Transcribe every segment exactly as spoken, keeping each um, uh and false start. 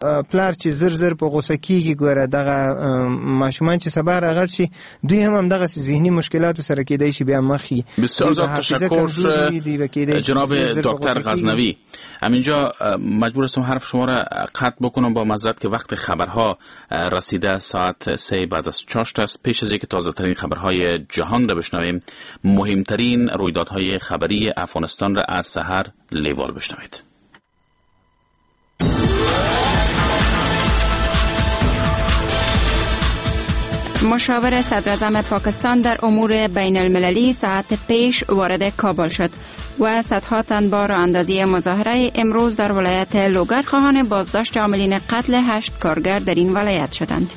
پلار چې زر زر په غوسه کیږي، ګوره دغه ماشومان چې سبا راغړ شي دوی هم همدغسې ذهني مشکلاتو سره کېدای شي بیا مخ شي. بسیار زیاد تشکر جناب دکتر غزنوی. همینجا مجبور هستم حرف شما را قطع بکنم با معذرت که وقت خبرها رسیده، ساعت سه بعد از چاشت است. پیش از اینکه تازه ترین خبرهای جهان را بشنویم، مهمترین رویدادهای خبری افغانستان را از سحر لیوال بشنوید. مشاور صدراعظم پاکستان در امور بین المللی ساعت پیش وارد کابل شد و صدها تن با راه اندازی مظاهره امروز در ولایت لوگر خواهان بازداشت عاملین قتل هشت کارگر در این ولایت شدند.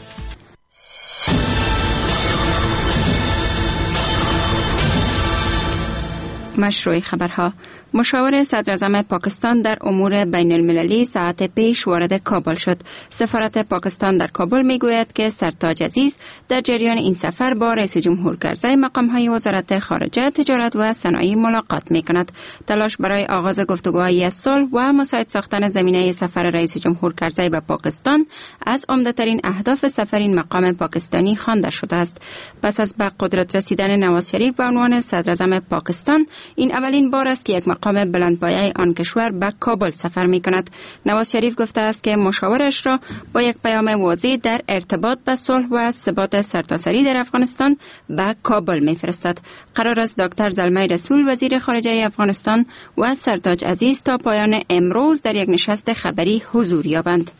مشروع خبرها. مشاور صدراعظم پاکستان در امور بین المللی ساعت پیش وارد کابل شد. سفارت پاکستان در کابل میگوید که سرتاج عزیز در جریان این سفر با رئیس جمهور کرزی، مقام‌های وزارت خارجه، تجارت و صنایع ملاقات میکند. تلاش برای آغاز گفتگوهای صلح و مساعد ساختن زمینه سفر رئیس جمهور کرزی به پاکستان از عمده‌ترین اهداف سفر این مقام پاکستانی خوانده شده است. پس از به قدرت رسیدن نواز شریف به عنوان صدراعظم پاکستان، این اولین بار است که یک مقام بلندپایه آن کشور به کابل سفر می کند. نواز شریف گفته است که مشاورش را با یک پیام واضح در ارتباط به صلح و ثبات سرتاسری در افغانستان به کابل می فرستد. قرار است دکتر زلمی رسول وزیر خارجه افغانستان و سرتاج عزیز تا پایان امروز در یک نشست خبری حضور یابند.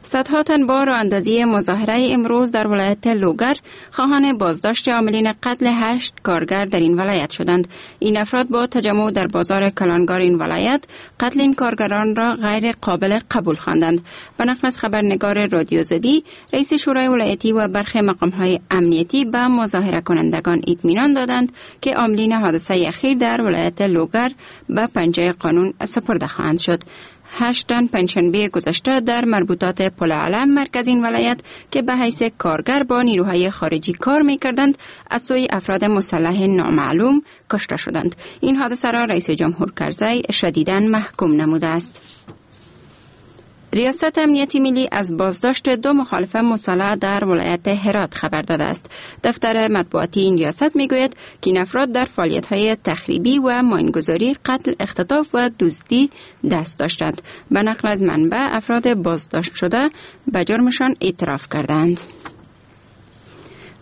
صدها تن با راه اندازی مظاهره امروز در ولایت لوگر خواهان بازداشت عاملین قتل هشت کارگر در این ولایت شدند. این افراد با تجمع در بازار کلانگار این ولایت قتل این کارگران را غیر قابل قبول خواندند. به نقل از خبرنگار رادیو زدی، رئیس شورای ولایتی و برخی مقام‌های امنیتی به مظاهره کنندگان اطمینان دادند که عاملین حادثه اخیر در ولایت لوگر به پنجه قانون سپرده خواهند شد. هشت تن پنجشنبه گذشته در مربوطات پل علم مرکز این ولایت که به حیث کارگر با نیروهای خارجی کار می‌کردند از سوی افراد مسلح نامعلوم کشته شدند. این حادثه را رئیس جمهور کرزی شدیداً محکوم نموده است. ریاست امنیتی ملی از بازداشت دو مخالف مسلح در ولایت هرات خبر داده است. دفتر مطبوعاتی این ریاست میگوید که این افراد در فعالیت‌های تخریبی و ماینگذاری، قتل، اختطاف و دزدی دست داشتند. به نقل از منبع، افراد بازداشت شده به جرمشان اعتراف کردند.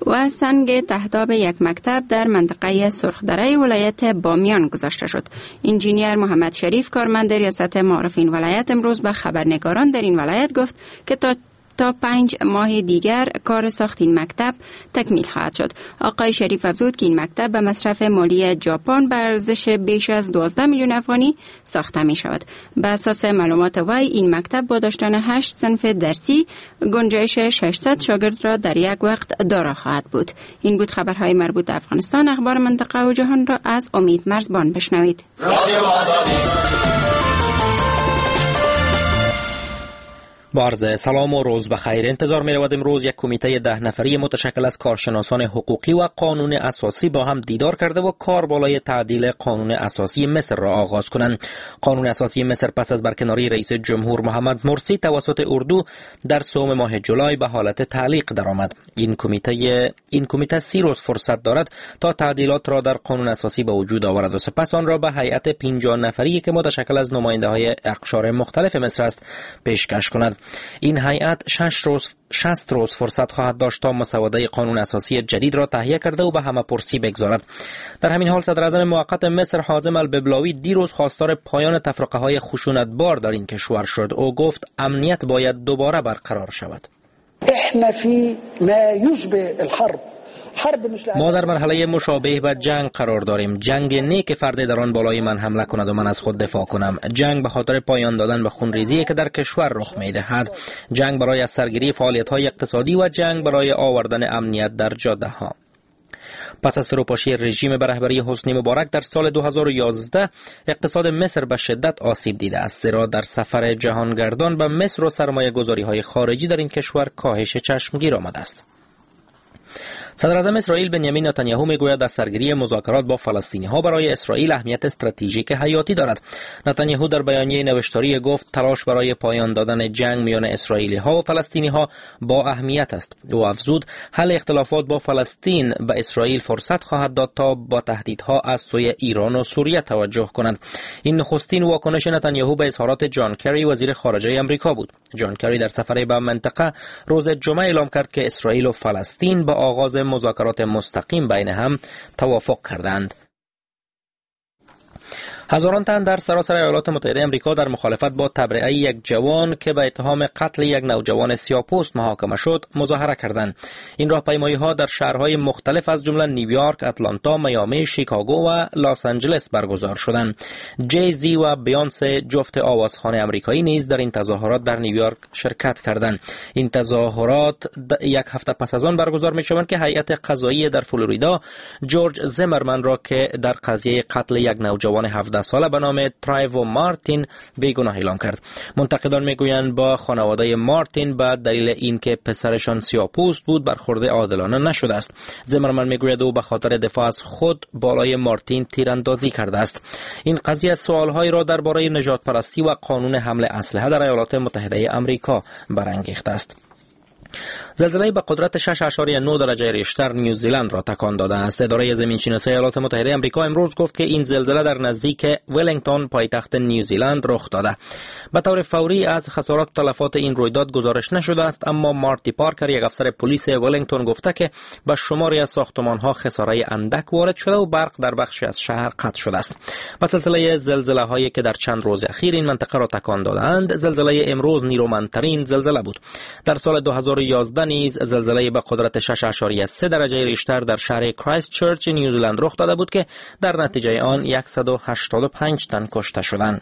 و سنگ تهداب یک مکتب در منطقه سرخدره ولایت بامیان گذاشته شد. انجینیر محمد شریف، کارمند ریاست معارف این ولایت، امروز به خبرنگاران در این ولایت گفت که تا تا پنج ماه دیگر کار ساخت این مکتب تکمیل خواهد شد. آقای شریف افزود که این مکتب به مصرف مالی ژاپن به ارزش بیش از دوازده میلیون افغانی ساخته می شود. به اساس معلومات وی، این مکتب با داشتن هشت صنف درسی گنجایش ششصد شاگرد را در یک وقت دارا خواهد بود. این بود خبرهای مربوط به افغانستان. اخبار منطقه و جهان را از امید مرزبان بشنوید. با عرض سلام و روز بخیر. انتظار می رود امروز یک کمیته ده نفری متشکل از کارشناسان حقوقی و قانون اساسی با هم دیدار کرده و کار بالای تعدیل قانون اساسی مصر را آغاز کنند. قانون اساسی مصر پس از برکناری رئیس جمهور محمد مرسی توسط اردو در سوم ماه جولای به حالت تعلیق درآمد. این کمیته این کمیته سی روز فرصت دارد تا تعدیلات را در قانون اساسی به وجود آورد و سپس آن را به هیئت پنجاه نفری که متشکل از نماینده‌های اقشار مختلف مصر است پیشکش کند. این هیئت شش روز شصت روز فرصت خواهد داشت تا مسوده قانون اساسی جدید را تهیه کرده و به همه پرسی بگذارد. در همین حال صدر اعظم موقت مصر حازم الببلاوی دیروز خواستار پایان تفرقه های خشونتبار در این کشور شد. او گفت امنیت باید دوباره برقرار شود. احنا فی ما یشبه الحرب ما در مرحله مشابه به جنگ قرار داریم. جنگ نه که فرد در آن بالای من حمله کند و من از خود دفاع کنم. جنگ به خاطر پایان دادن به خونریزی که در کشور رخ می‌دهد. جنگ برای از سرگیری فعالیت‌های اقتصادی و جنگ برای آوردن امنیت در جاده‌ها. پس از فروپاشی رژیم به رهبری حسنی مبارک در سال دو هزار و یازده اقتصاد مصر به شدت آسیب دیده است، زیرا در سفر جهانگردان به مصر و سرمایه‌گذاری‌های خارجی در این کشور کاهش چشمگیر آمده است. صدر اعظم اسرائیل بنیامین نتانیاهو میگوید از سرگیری مذاکرات با فلسطینی ها برای اسرائیل اهمیت استراتژیک حیاتی دارد. نتانیاهو در بیانیه نوشتاری گفت تلاش برای پایان دادن جنگ میان اسرائیلی ها و فلسطینی ها با اهمیت است. او افزود حل اختلافات با فلسطین به اسرائیل فرصت خواهد داد تا با تهدیدها از سوی ایران و سوریه توجه کنند. این نخستین واکنش نتانیاهو به اظهارات جان کری وزیر خارجه آمریکا بود. جان کری در سفر به منطقه روز جمعه اعلام کرد که اسرائیل و فلسطین با آغاز مذاکرات مستقیم بین هم توافق کردند. هزاران تن در سراسر ایالات متحده آمریکا در مخالفت با تبرئه یک جوان که به اتهام قتل یک نوجوان سیاه‌پوست محاکمه شد مظاهره کردند. این راهپیمایی‌ها در شهرهای مختلف از جمله نیویورک، اتلانتا، میامی، شیکاگو و لس آنجلس برگزار شدند. جی زی و بیانسه جفت آوازخوان آمریکایی نیز در این تظاهرات در نیویورک شرکت کردند. این تظاهرات یک هفته پس از آن برگزار می‌شوند که هیئت قضایی در فلوریدا جورج زیمرمن را که در قضیه قتل یک نوجوان هفده ساله به نام ترایوو مارتین بیگناه اعلام کرد. منتقدان میگویند با خانواده مارتین به دلیل اینکه پسرشان سیاه‌پوست بود برخورد عادلانه نشده است. زیمرمن میگوید او به خاطر دفاع از خود بالای مارتین تیراندازی کرده است. این قضیه سوالهایی را درباره نژاد پرستی و قانون حمل اسلحه در ایالات متحده آمریکا برانگیخته است. زلزله به قدرت شش اعشاریه نه درجه ریشتر نیوزیلند را تکان داده است. اداره زمینشناسی ایالات متحده آمریکا امروز گفت که این زلزله در نزدیک ولینگتون پایتخت نیوزیلند رخ داده. به طور فوری از خسارات تلفات این رویداد گزارش نشده است، اما مارتی پارکر یک افسر پلیس ولینگتون گفته که به شماری از ساختمان‌ها خساره اندک وارد شده و برق در بخشی از شهر قطع شده است. به سلسله زلزله‌هایی که در چند روز اخیر این منطقه را تکان دادند، زلزله امروز نیرومندترین زلزله بود. در سال دو هزار و یازده نیز زلزله به قدرت شش اعشاریه سه درجه ریشتر در شهر کرایست چرچ نیوزلند رخ داده بود که در نتیجه آن صد و هشتاد و پنج تن کشته شدند.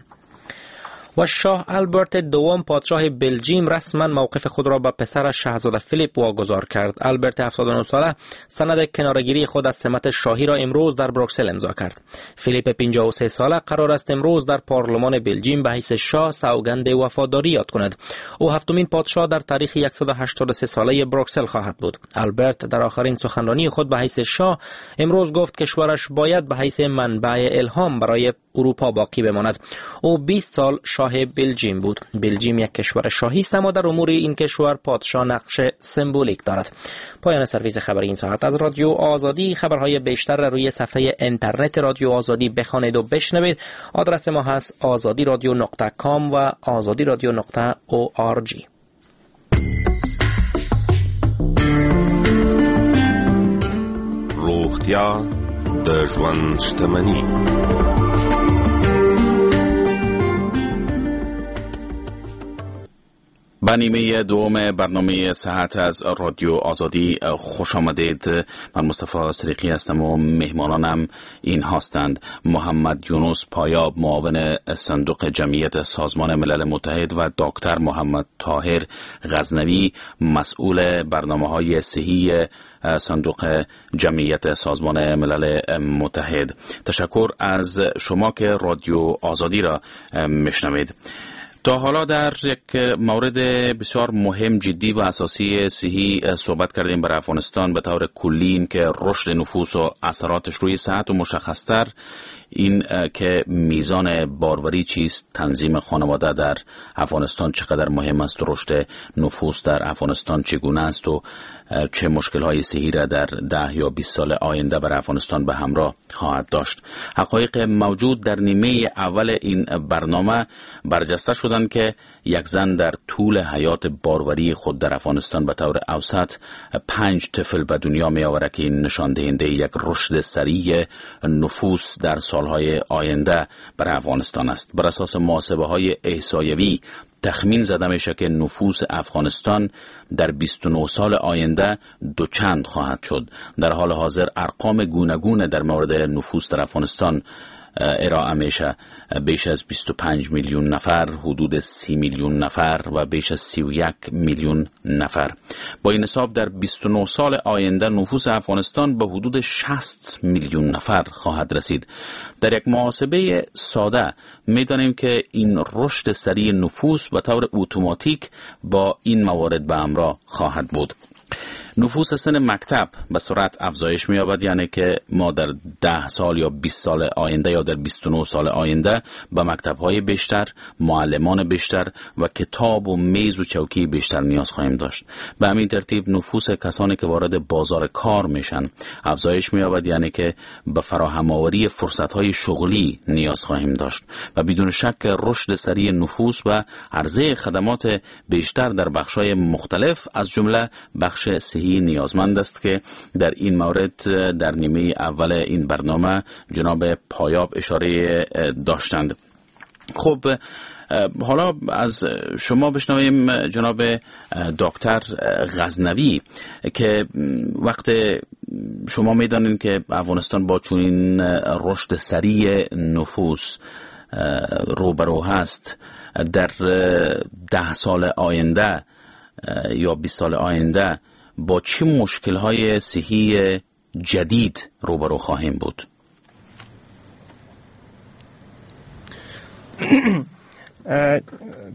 و شاه آلبرت دوم پادشاه بلژیم رسما موقف خود را به پسر شاهزاده فیلیپ واگذار کرد. آلبرت هفتاد و نه ساله سند کناره‌گیری خود از سمت شاهی را امروز در بروکسل امضا کرد. فیلیپ پنجاه و سه ساله قرار است امروز در پارلمان بلژیم به حیث شاه سوگند وفاداری یاد کند. او هفتمین پادشاه در تاریخ صد و هشتاد و سه ساله بروکسل خواهد بود. آلبرت در آخرین سخنرانی خود به حیث شاه امروز گفت کشورش باید به حیث منبع الهام برای اروپا باقی بماند. او بیست سال شاه بلژیم بود. بلژیم یک کشور شاهی است، اما در امور این کشور پادشاه نقش سمبولیک دارد. پایان سرویس خبری این ساعت از رادیو آزادی. خبرهای بیشتر را روی صفحه اینترنت رادیو آزادی بخوانید و بشنوید. آدرس ما هست آزادی رادیو نقطه کام و آزادی رادیو نقطه او آر جی. روغتیا د ژوند شتمني. به نیمه دوم برنامه صحت از رادیو آزادی خوش آمدید. من مصطفی صدیقی هستم و مهمانانم این هستند: محمد یونس پایاب، معاون صندوق جمعیت سازمان ملل متحد، و دکتر محمد طاهر غزنوی، مسئول برنامه‌های صحی صندوق جمعیت سازمان ملل متحد. تشکر از شما که رادیو آزادی را میشنوید. تا حالا در یک مورد بسیار مهم، جدی و اساسی صحی صحبت کردیم برای افغانستان به طور کلی، این که رشد نفوس و اثراتش روی صحت و مشخصتر این که میزان باروری چیست، تنظیم خانواده در افغانستان چقدر مهم است، رشد نفوس در افغانستان چگونه است و چه مشکل‌های صحی را در ده یا بیست سال آینده بر افغانستان به همراه خواهد داشت. حقایق موجود در نیمه اول این برنامه برجسته شدند که یک زن در طول حیات باروری خود در افغانستان به طور اوسط پنج طفل به دنیا می آورد که این نشان دهنده یک رشد سریع نفوس در سالهای آینده بر افغانستان است. بر اساس محاسبه های احصایوی تخمین زده میشه که نفوس افغانستان در بیست و نه سال آینده دوچند خواهد شد. در حال حاضر ارقام گوناگون در مورد نفوس در افغانستان ارائه میشه، بیش از بیست و پنج میلیون نفر، حدود سی میلیون نفر و بیش از سی و یک میلیون نفر. با این حساب در بیست و نه سال آینده نفوس افغانستان به حدود شصت میلیون نفر خواهد رسید. در یک محاسبه ساده میدانیم که این رشد سریع نفوس به طور اتوماتیک با این موارد به همراه خواهد بود. نفوس سن مکتب به سرعت افزایش می‌یابد، یعنی که ما در ده سال یا بیست سال آینده یا در بیست و نه سال آینده به مکتب‌های بیشتر، معلمان بیشتر و کتاب و میز و چوکی بیشتر نیاز خواهیم داشت. به همین ترتیب نفوس کسانی که وارد بازار کار میشن افزایش می‌یابد، یعنی که به فراهم آوری فرصت‌های شغلی نیاز خواهیم داشت و بدون شک رشد سریع نفوس و عرضه خدمات بیشتر در بخش‌های مختلف از جمله بخش صحی نیازمند است که در این مورد در نیمه اول این برنامه جناب پایاب اشاره داشتند. خب حالا از شما بشنویم جناب دکتر غزنوی که وقت شما میدانید که افغانستان با چنین رشد سریع نفوس روبرو هست، در ده سال آینده یا بیست سال آینده با چه مشکل‌های صحی جدید روبرو خواهیم بود؟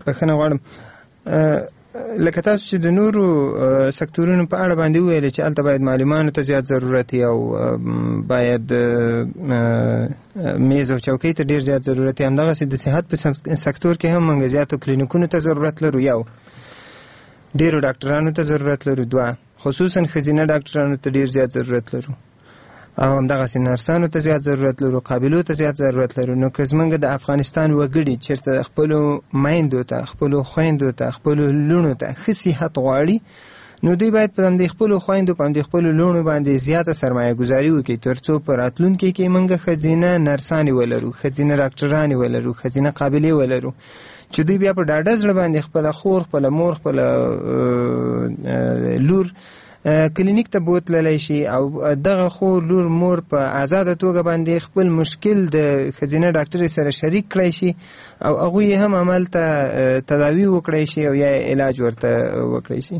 بخښنه غواړم. لکه تاسو چې د نورو سکتورونو په اړه باندې وویل چې هلته باید معلمانو ته زیات ضرورت او باید میز او چوکۍ ته ډېر زیات ضرورت، همدغسې د صحت په سکتور کې هم موږ زیاتو کلینیکونو ته ضرورت لرو، یو ډېرو ډاکټرانو ته ضرورت لرو، دوه خصوصا ښځینه ډاکټرانو ته ډېر زیات ضرورت لرو او همدغسې نرسانو ته زیات ضرورت لرو، قابلو ته زیات ضرورت لرو. نو که زمونږ د افغانستان وګړي چېرته خپلو میندو ته، خپلو خویندو ته، خپلو لوڼو ته ښه صحت غواړي، نو دوی باید په همدې خپلو خویندو، په همدې خپلو لوڼو باندې زیاته سرمایه ګذاري وکړي، ترڅو په راتلونکي کې موږ ښځینه نرسانې ولرو، ښځینه ډاکټرانې ولرو، ښځینه قابلې ولرو، چې دوی بیا په ډاډه زړه باندې خپله خور، خپله مور، خپله لور کلینیک ته بوتللی شي او دغه خور، لور، مور په آزاده توګه باندې خپل مشکل د ښځینه ډاکټرې سره شریک کړی شي او هغوی هم هملته تداوي وکړی شي او یا علاج ورته وکړی شي.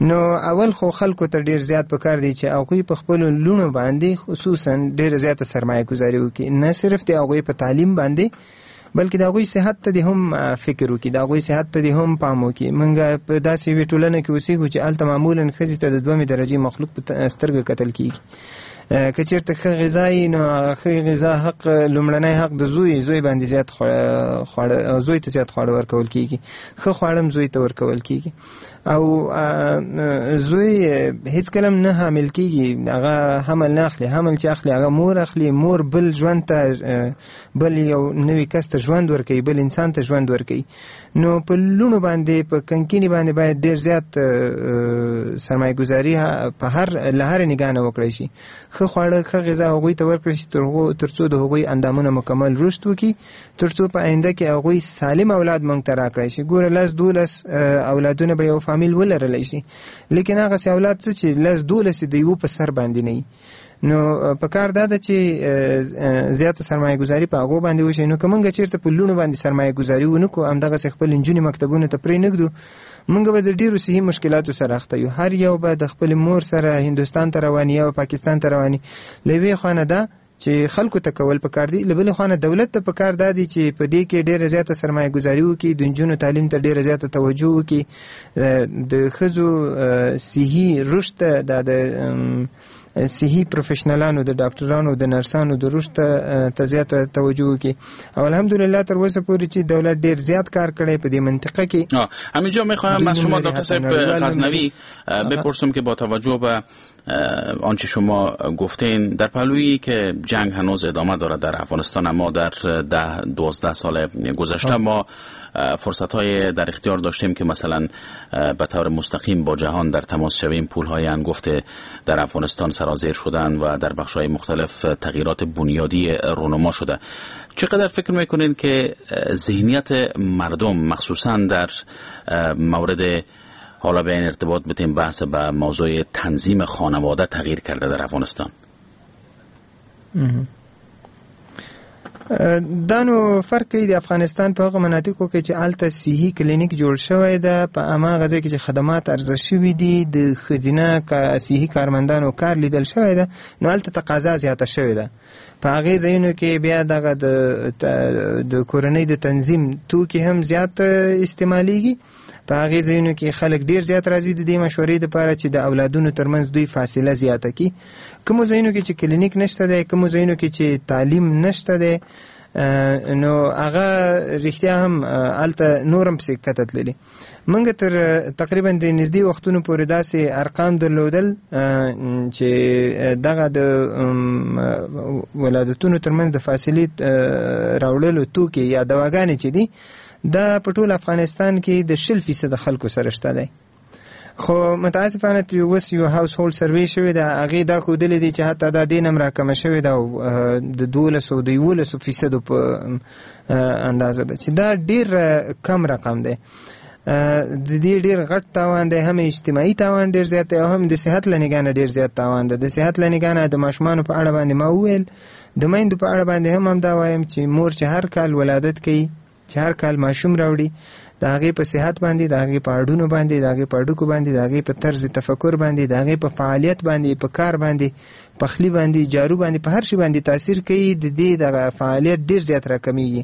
نو اول خو خلکو ته ډیر زیات پکار دی چې هغوی په خپلو لوڼو باندې خصوصا ډیره زیاته سرمایه ګذاري وکړي، نه صرف د هغوی په تعلیم باندې بلکې د هغوی صحت ته دې هم فکر وکړي، د هغوی صحت ته دې هم پام وکړي. موږ په داسې یوې ټولنه کې اوسېږو چې هلته معمولا ښځې ته د دومې درجې مخلوق په سترګه کتل کېږي. که چېرته ښه غذا یي نو هغه ښه غذا حق، لومړنی حق د زوی، زوی باندې زیات خواړه، زوی ته زیات خواړه ورکول کېږي، ښه خواړه هم زوی ته ورکول کېږي او زوی هیڅکله هم نه حامل کېږي، هغه حمل نه اخلي، حمل چې اخلي هغه مور اخلي، مور بل ژوند ته، بل یو نوي کس ته ژوند ورکوي، بل انسان ته ژوند ورکوي. نو په لوڼو باندې، په کنکینې باندې باید ډېر زیات سرمایه ګذاري په هر له هرې نګاه نه وکړای شي. ښه خواړه، ښه غذا هغوی ته ورکړل شي ترڅو د هغوی اندامونه مکمل رشد وکړي، ترڅو په آینده کې هغوی سالم اولاد موږ ته راکړای شي. ګوره لس دولس اولادونه به یو فامیل ولرلی شي، لیکن هغسې اولاد څه چې لس دولس د یو په سر باندې نه وي. نو په کار دا ده چې زیاته سرمایه ګذاري په هغو باندې وشي. نو که موږ چېرته په لوڼو باندې سرمایه ګذاري ونه کړو، همدغسې خپل نجونې مکتبونو ته پرې نه ږدو، موږ به د ډېرو صحي مشکلاتو سره اخته یو. هر یو به د خپل مور سره هندوستان ته رواني یا پاکستان ته رواني. له یوې خوا نه دا چې خلکو ته کول پکار دي، له بلې خوا نه دولت ته پکار دا دي چې په دې کې ډېره زیاته سرمایه ګذاري وکړي، د نجونو تعلیم ته ډېره زیاته توجه وکړي، د ښځو صحي رشد ته، دا د صحي پروفیشنلانو، د ډاکټرانو، د نرسانو د رشد ته زیاته توجه وکړي. او الحمدلله تر اوسه پورې چې دولت ډېر زیات کار کړی په دې منطقه کې. همینجا میخواهم از شما دکتر صاحب غزنوی بپرسم که با توجه به آنچه شما گفتین، در پهلویی که جنگ هنوز ادامه دارد در افغانستان، اما در ده دوازده سال گذشته ما فرصت‌های در اختیار داشتیم که مثلا به طور مستقیم با جهان در تماس شویم، پول‌های انگفت در افغانستان سرازیر شدن و در بخش‌های مختلف تغییرات بنیادی رونما شده. چقدر فکر میکنین که ذهنیت مردم مخصوصا در مورد حالا به این ارتباط بتیم بحث به موضوع تنظیم خانواده تغییر کرده در افغانستان؟ دا نو فرق کوي د افغانستان په هغو مناطقو کې چې هلته صحي کلینیک جوړ شوی ده، په هماغه ځای کې چې خدمات عرضه شوي دي، د ښځینه صحي کارمندانو کار لیدل شوی ده، نو هلته تقاضا زیاته شوې ده. په هغې ځایونو کې بیا دغه د د کورنۍ د تنظیم توکي هم زیات استعمالیږي. په هغې ځایونو کې خلک ډیر زیات راځي د دې مشورې دپاره چې د اولادونو ترمنځ دوی فاصله زیاته کړي. کومو ځایونو کې چې کلینیک نشته دی، کومو ځایونو کې چې تعلیم نشته دی، نو هغه رښتیا هم هلته نور هم پسې کښته تللي. موږ تر تقریبا د نږدې وختونو پورې داسې ارقام درلودل چې دغه د ولادتونو ترمنځ د فاصلې راوړلو توکي یا دواګانې چې دي دا په ټول افغانستان کې د شل فیصده خلکو سره شته دی. خو متاسفانه چې اوس یو household survey شوې ده، هغې دا ښودلې دي چې حتی دا دې نه هم راکمه شوې ده او د دولسو د یولسو فیصدو په اندازه ده چې دا ډېر کم رقم دی. د دې ډېر غټ تاوان دی، هم اجتماعي تاوان ډېر زیات دی او هم د صحت له نګاه نه ډېر زیات تاوان دی. د صحت له نګاه نه د ماشومانو په اړه باندې ما وویل، د میندو په اړه باندې هم همدا وایم چې مور چې هر کال ولادت کوي، چې هر کال ماشوم راوړي، د هغې په صحت باندې، د هغې په هډونو باندې، د هغې په هډوکو باندې، د هغې په طرز تفکر باندې، د هغې په فعالیت باندې، په کار باندې، پخلی باندې، جارو باندې، په هر شي باندې تاثیر کوي. د دې دغه فعالیت ډېر زیات راکمیږي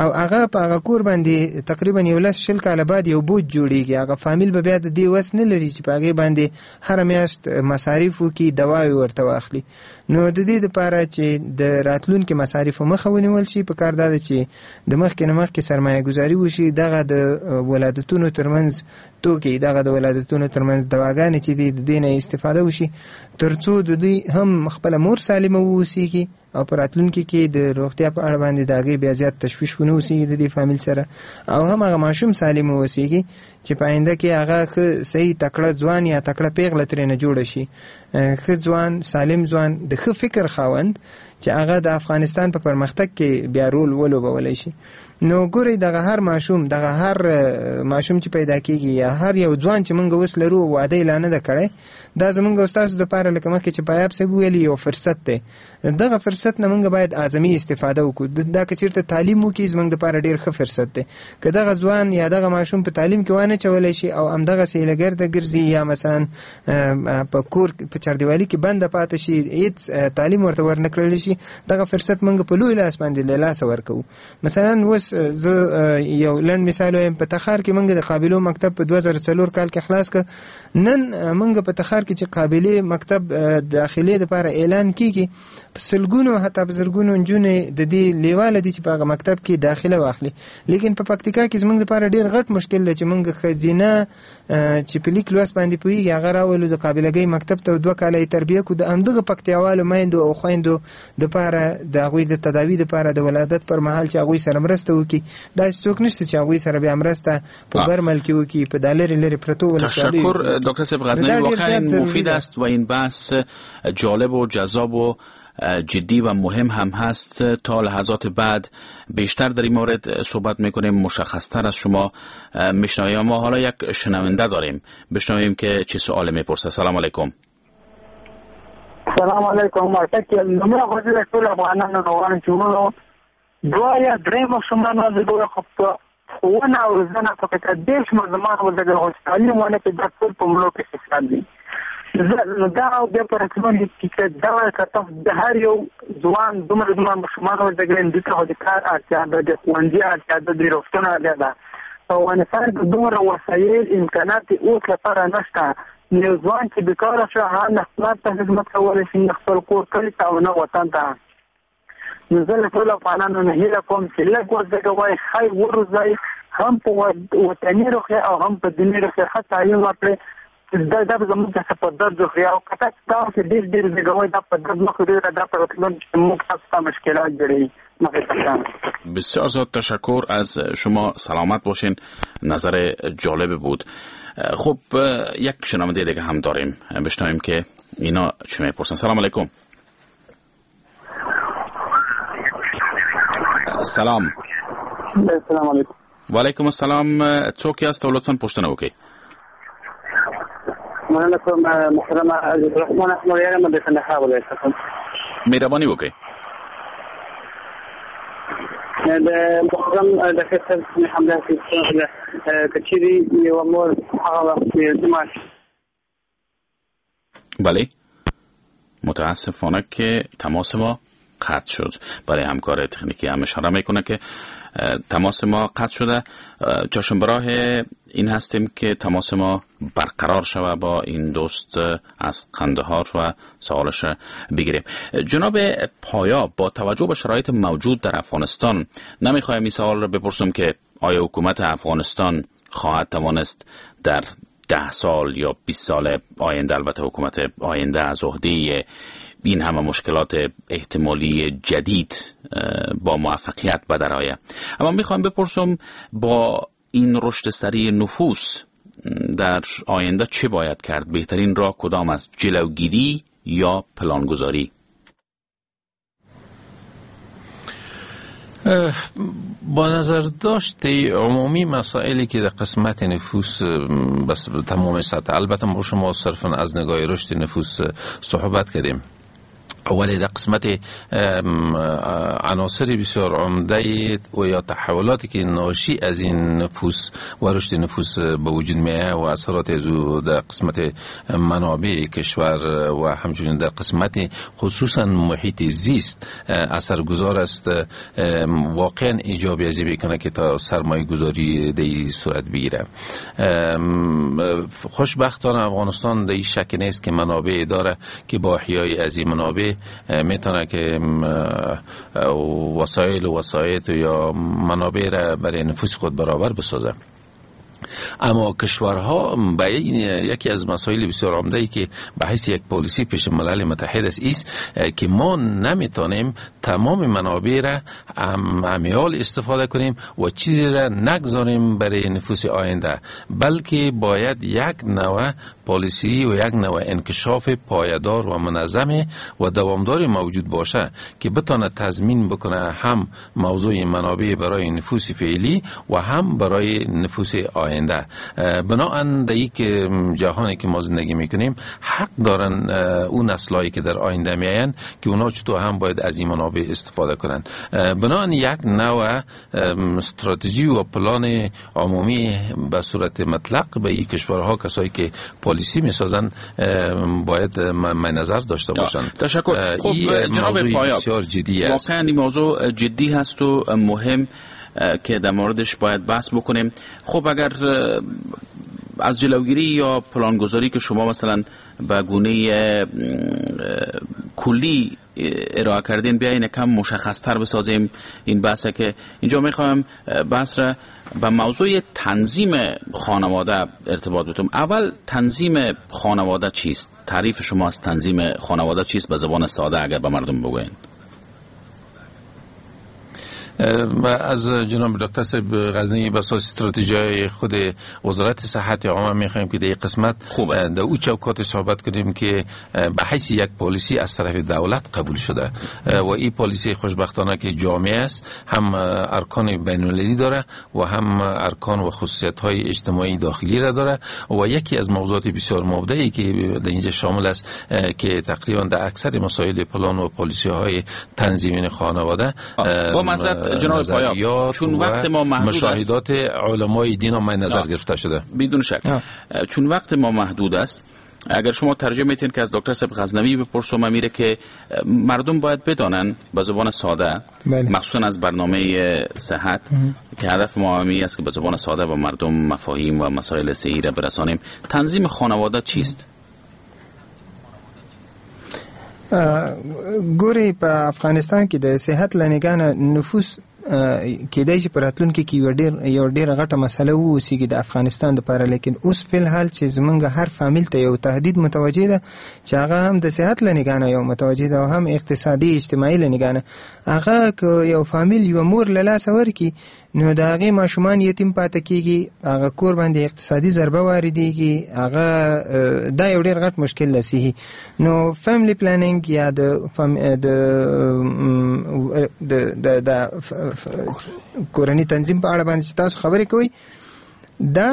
او هغه په هغه کور باندې تقریبا یو لس شل کاله بعد یو بوج جوړیږي. هغه فامیل به بیا د دې وس نه لري چې په هغې باندې هره میاشت مصارف وکړي، دواوې ورته واخلي. نو د دې دپاره چې د راتلونکي مصارفو مخه ونیول شي، په کار دا ده چې د مخکې نه مخکې سرمایه ګذاري وشي، دغه د ولادتونو ترمنځ توکي، دغه د ولادتونو ترمنځ دواګانې چې دي د دې نه استفاده وشي، ترڅو د دوی هم خپله مور سالمه واوسیږي او په راتلونکي کې د روغتیا په اړه باندې د هغې بیا زیات تشویش ونه اوسیږي د دې فامیل سره، او هم هغه ماشوم سالم واوسیږي چې په آینده کې هغه ښه صحیح تکړه ځوان یا تکړه پیغله ترېنه جوړه شي، ښه ځوان، سالم ځوان، د ښه فکر خاوند چې هغه د افغانستان په پرمختګ کې بیا رول ولوبولی شي. نو ګورئ دغه هر ماشوم، دغه هر ماشوم چې پیدا کیږي یا هر یو ځوان چې موږ اوس لرو واده یې لا نه ده کړی، دا زموږ او ستاسو دپاره لکه مخکې چې پایاب صاحب وویل یو فرصت دی. دغه فرصت نه موږ باید اعظمي استفاده وکړو. دا که چېرته تعلیم وکړي زموږ دپاره ډېر ښه فرصت دی. که دغه ځوان یا دغه ماشوم په تعلیم کې وانه چولی شي او همدغسې له ګرده ګرځي یا مثلا په کور په چاردیوالي کې بنده پاتې شي، هېڅ تعلیم ورته ورنه کړل شي، دغه فرصت موږ په لوی لاس باندې له لاسه ورکوو. مثلا اوس زه یو لنډ مثال وایم، په تخار کې موږ د قابلو مکتب په دوه زره څلور کال کې خلاص کړ. نن موږ په تخار کې چې قابلې مکتب داخلې دپاره اعلان کیږي، په سلګونو حتی په زرګونو نجونې د دې لیواله دي چې په هغه مکتب کې داخله واخلي. لیکن په پکتیکا کې زموږ دپاره ډېر غټ مشکل دی چې موږ ښځینه چې په لیک لوست باندې پوهېږي هغه راولو د قابلګۍ مکتب ته، دوه کاله یې تربیه کړو. د همدغه پکتیاوالو میندو او خویندو دپاره د هغوی د تداوي دپاره د ولادت پر مهال چې هغوی سره مرسته وکړي، داسې څوک نشته چې هغوی سره بیا مرسته په برمل کې وکړي، په دا لرې لرې پرتو ولسوالیو. تشکر دکتر صاحب غزنوی، واقعا مفید است و این بحث جالب و جذاب و جدی و مهم هم هست. تا لحظات بعد بیشتر در این مورد صحبت میکنیم، مشخصتر از شما میشنویم. ما حالا یک شنونده داریم، بشنویم که چه سوال میپرسه. سلام علیکم. سلام علیکم. لومړی خو زه د ټولو افغانانو نه غواړم چې وروڼو دوه یا درې ماشومان وزېږوي، خو په ښوونه او روزنه په کې دېرش ماشومان وزېږوي، خو چې تعلیم ونه کړي دا ټول په مړو کې حساب دي. نو دا بیا په راتلونکي کې چې دغه کتاب د هر یو ځوان دومره دومره ماشومان وزېږوي، دوی ته خو د کار اړتیا ده، د ښوونځي اړتیا ده، د روغتون اړتیا ده. په افغانستان کې دومره وسایل امکانات اوس لپاره نشته. یو ځوان چې بېکاره شو هغه نه خپل ته خدمت کولی شي، نه خپل کور کلي ته او نه وطن ته. نو زه له ټولو افغانانو نه هیله کوم چې لږ وزېږوئ، ښه یې وروزئ، هم په وطني روحیه او هم په دیني روحیه ښه تعلیم ورکړئ. دا دا زموږ څخه په درد خوري او که تاسو تاسو ډېر ډېر زېږوئ دا په درد نه خوري، دا په راتلونکي کې موږ تاسو ته مشکلات جوړوي. بسیار زیاد تشکر از شما، سلامت باشین، نظر جالب بود. خب یک شنونده دیگه هم داریم، بشنویم که اینا چه میپرسن. سلام علیکم. سلام. سلام علیکم. و علیکم السلام. څوک یاست او لطفاً پوښتنه وکړئ. مننه کوم محترم عزیزالرحمن احمد یم د کندهار ولایت څخه. مهرباني وکړئ. د محترم ډاکټر صاحب همداسې پوښتنه ده، که چیرې یوه مور هغه وخت چې ماش بله، متاسفانه که تماس ما قطع شد. برای همکار تکنیکی هم اشاره میکنه که تماس ما قطع شده. چشم براه این هستیم که تماس ما برقرار شود با این دوست از قندهار و سوالش بگیریم. جناب پایا، با توجه به شرایط موجود در افغانستان نمیخوایم این سوال را بپرسم که آیا حکومت افغانستان خواهد توانست در ده سال یا بیست سال آینده، البته حکومت آینده، از عهده این همه مشکلات احتمالی جدید با موفقیت به در آید. اما میخوایم بپرسم با این رشد سریع نفوس در آینده چه باید کرد؟ بهترین راه کدام است؟ جلوگیری یا پلانگذاری؟ با نظر داشت عمومی مسائلی که در قسمت نفوس بس تمام سطح، البته ما شما صرفا از نگاه رشد نفوس صحبت کردیم، ولی در قسمت عناصر بسیار عمده و یا تحولاتی که ناشی از این نفوس و رشد نفوس به وجود میاد و اثرات از او در قسمت منابع کشور و همچنین در قسمت خصوصا محیط زیست اثرگذار است، واقعا ایجاب ازی بکنه که تا سرمایه گذاری در این صورت بگیره. خوشبختانه افغانستان در این شک نیست که منابع داره که با احیای از این منابع میتونه که وسایل و وسایط یا منابع را برای نفوس خود برابر بسازه. اما کشورها به یکی از مسائل بسیار عمده ای که به حیث یک پالیسی پیش ملل متحد است ایست که ما نمیتونیم تمام منابع را عمیال استفاده کنیم و چیزی را نگذاریم برای نفوس آینده، بلکه باید یک نوع پالیسی و یک نوع انکشاف پایدار و منظم و دوامدار موجود باشه که بتانه تضمین بکنه هم موضوع منابع برای نفوس فعلی و هم برای نفوس آینده. بناهن در یک جهانی که ما زندگی میکنیم حق دارن اون نسلایی که در آینده میاین که اونا چطور هم باید از این منابع استفاده کنن. بناهن یک نوع استراتژی و پلان عمومی به صورت مطلق به این کشورها کسایی که پالیسی میسازن باید من نظر داشته باشن. تشکر. خب جناب پایا، بسیار جدی است. واقعا این موضوع جدی هست و مهم که در موردش باید بحث بکنیم. خب اگر از جلوگیری یا پلانگذاری که شما مثلا به گونه کلی ارائه کردین بیاین کم مشخصتر بسازیم این بحثه که اینجا میخوایم بحث را به موضوع تنظیم خانواده ارتباط بدم. اول تنظیم خانواده چیست؟ تعریف شما از تنظیم خانواده چیست به زبان ساده اگر به مردم بگوین؟ از جناب دکتر صاحب غزنی به اساس استراتژی خود وزارت صحت عامه میخوایم که در این قسمت در او چوکات صحبت کنیم که به حیث یک پالیسی از طرف دولت قبول شده و این پالیسی خوشبختانه که جامع است، هم ارکان بین المللی داره و هم ارکان و خصوصیت های اجتماعی داخلی را داره و یکی از موضوعات بسیار مبدعی که در اینجا شامل است که تقریبا در اکثر مسائل پلان و پالیسی های تنظیم خانواده با مزد جناب پایا، چون وقت ما محدود است، مشاهدات علمای دین هم نظر گرفته شده بدون شک. آه. چون وقت ما محدود است، اگر شما ترجمه میتین که از دکتر صاحب غزنوی بپرسم میره که مردم باید بدانن به زبان ساده، مخصوصا از برنامه صحت اه. که هدف ما همی است که به زبان ساده به مردم مفاهیم و مسائل صحی را برسانیم. تنظیم خانواده چیست؟ ګوري په افغانستان کې د صحت له نګاه نه نفوس کېدای شي په راتلونکي کې یو ډېر یو ډېره غټه مسله واوسېږي د افغانستان دپاره، لیکن اوس فی الحال چې زمونږ هر فامیل ته یو تهدید متوجه ده چې هغه هم د صحت له نګاه نه یو متوجه ده او هم اقتصادي اجتماعي له نګاه نه. هغه که یو فامیل یوه مور له لاسه ورکړي نو د هغې ماشومان یتیم پاته کېږي، هغه کور باندې اقتصادي ضربه واردېږي، هغه دا یو ډېر غټ مشکل ده صحي. نو family planning یا د د د د کورنی تنظیم په اړه باندې چې تاسو خبرې کوئ، دا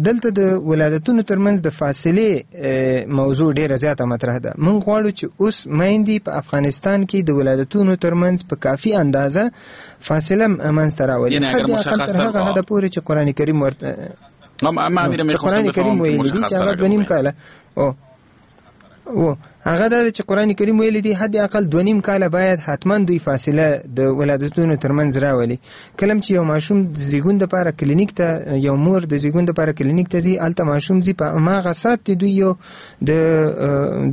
دلته د ولادتونو ترمنځ د فاصلې موضوع ډیره زیاته مطرح ده. مونږ غواړو چې اوس میندې په افغانستان کې د ولادتونو ترمنځ په کافي اندازه فاصله منځته راولي، حد اقل تر هغه حده پورې چې قرآن کریم ورته قرآن کریم ویلي دي چې هغه دوه نیم کاله او او هغه دا چې قرآن کریم ویلي دي حد اقل دوه نیم کاله باید حتما دوی فاصله د ولادتونو ترمنځ راولي. کله چې یو ماشوم د زیږون دپاره کلینیک ته، یو مور د زیږون دپاره کلینیک ته ځي، هلته ماشوم ځي، په هماغه ساعت کې دوی یو د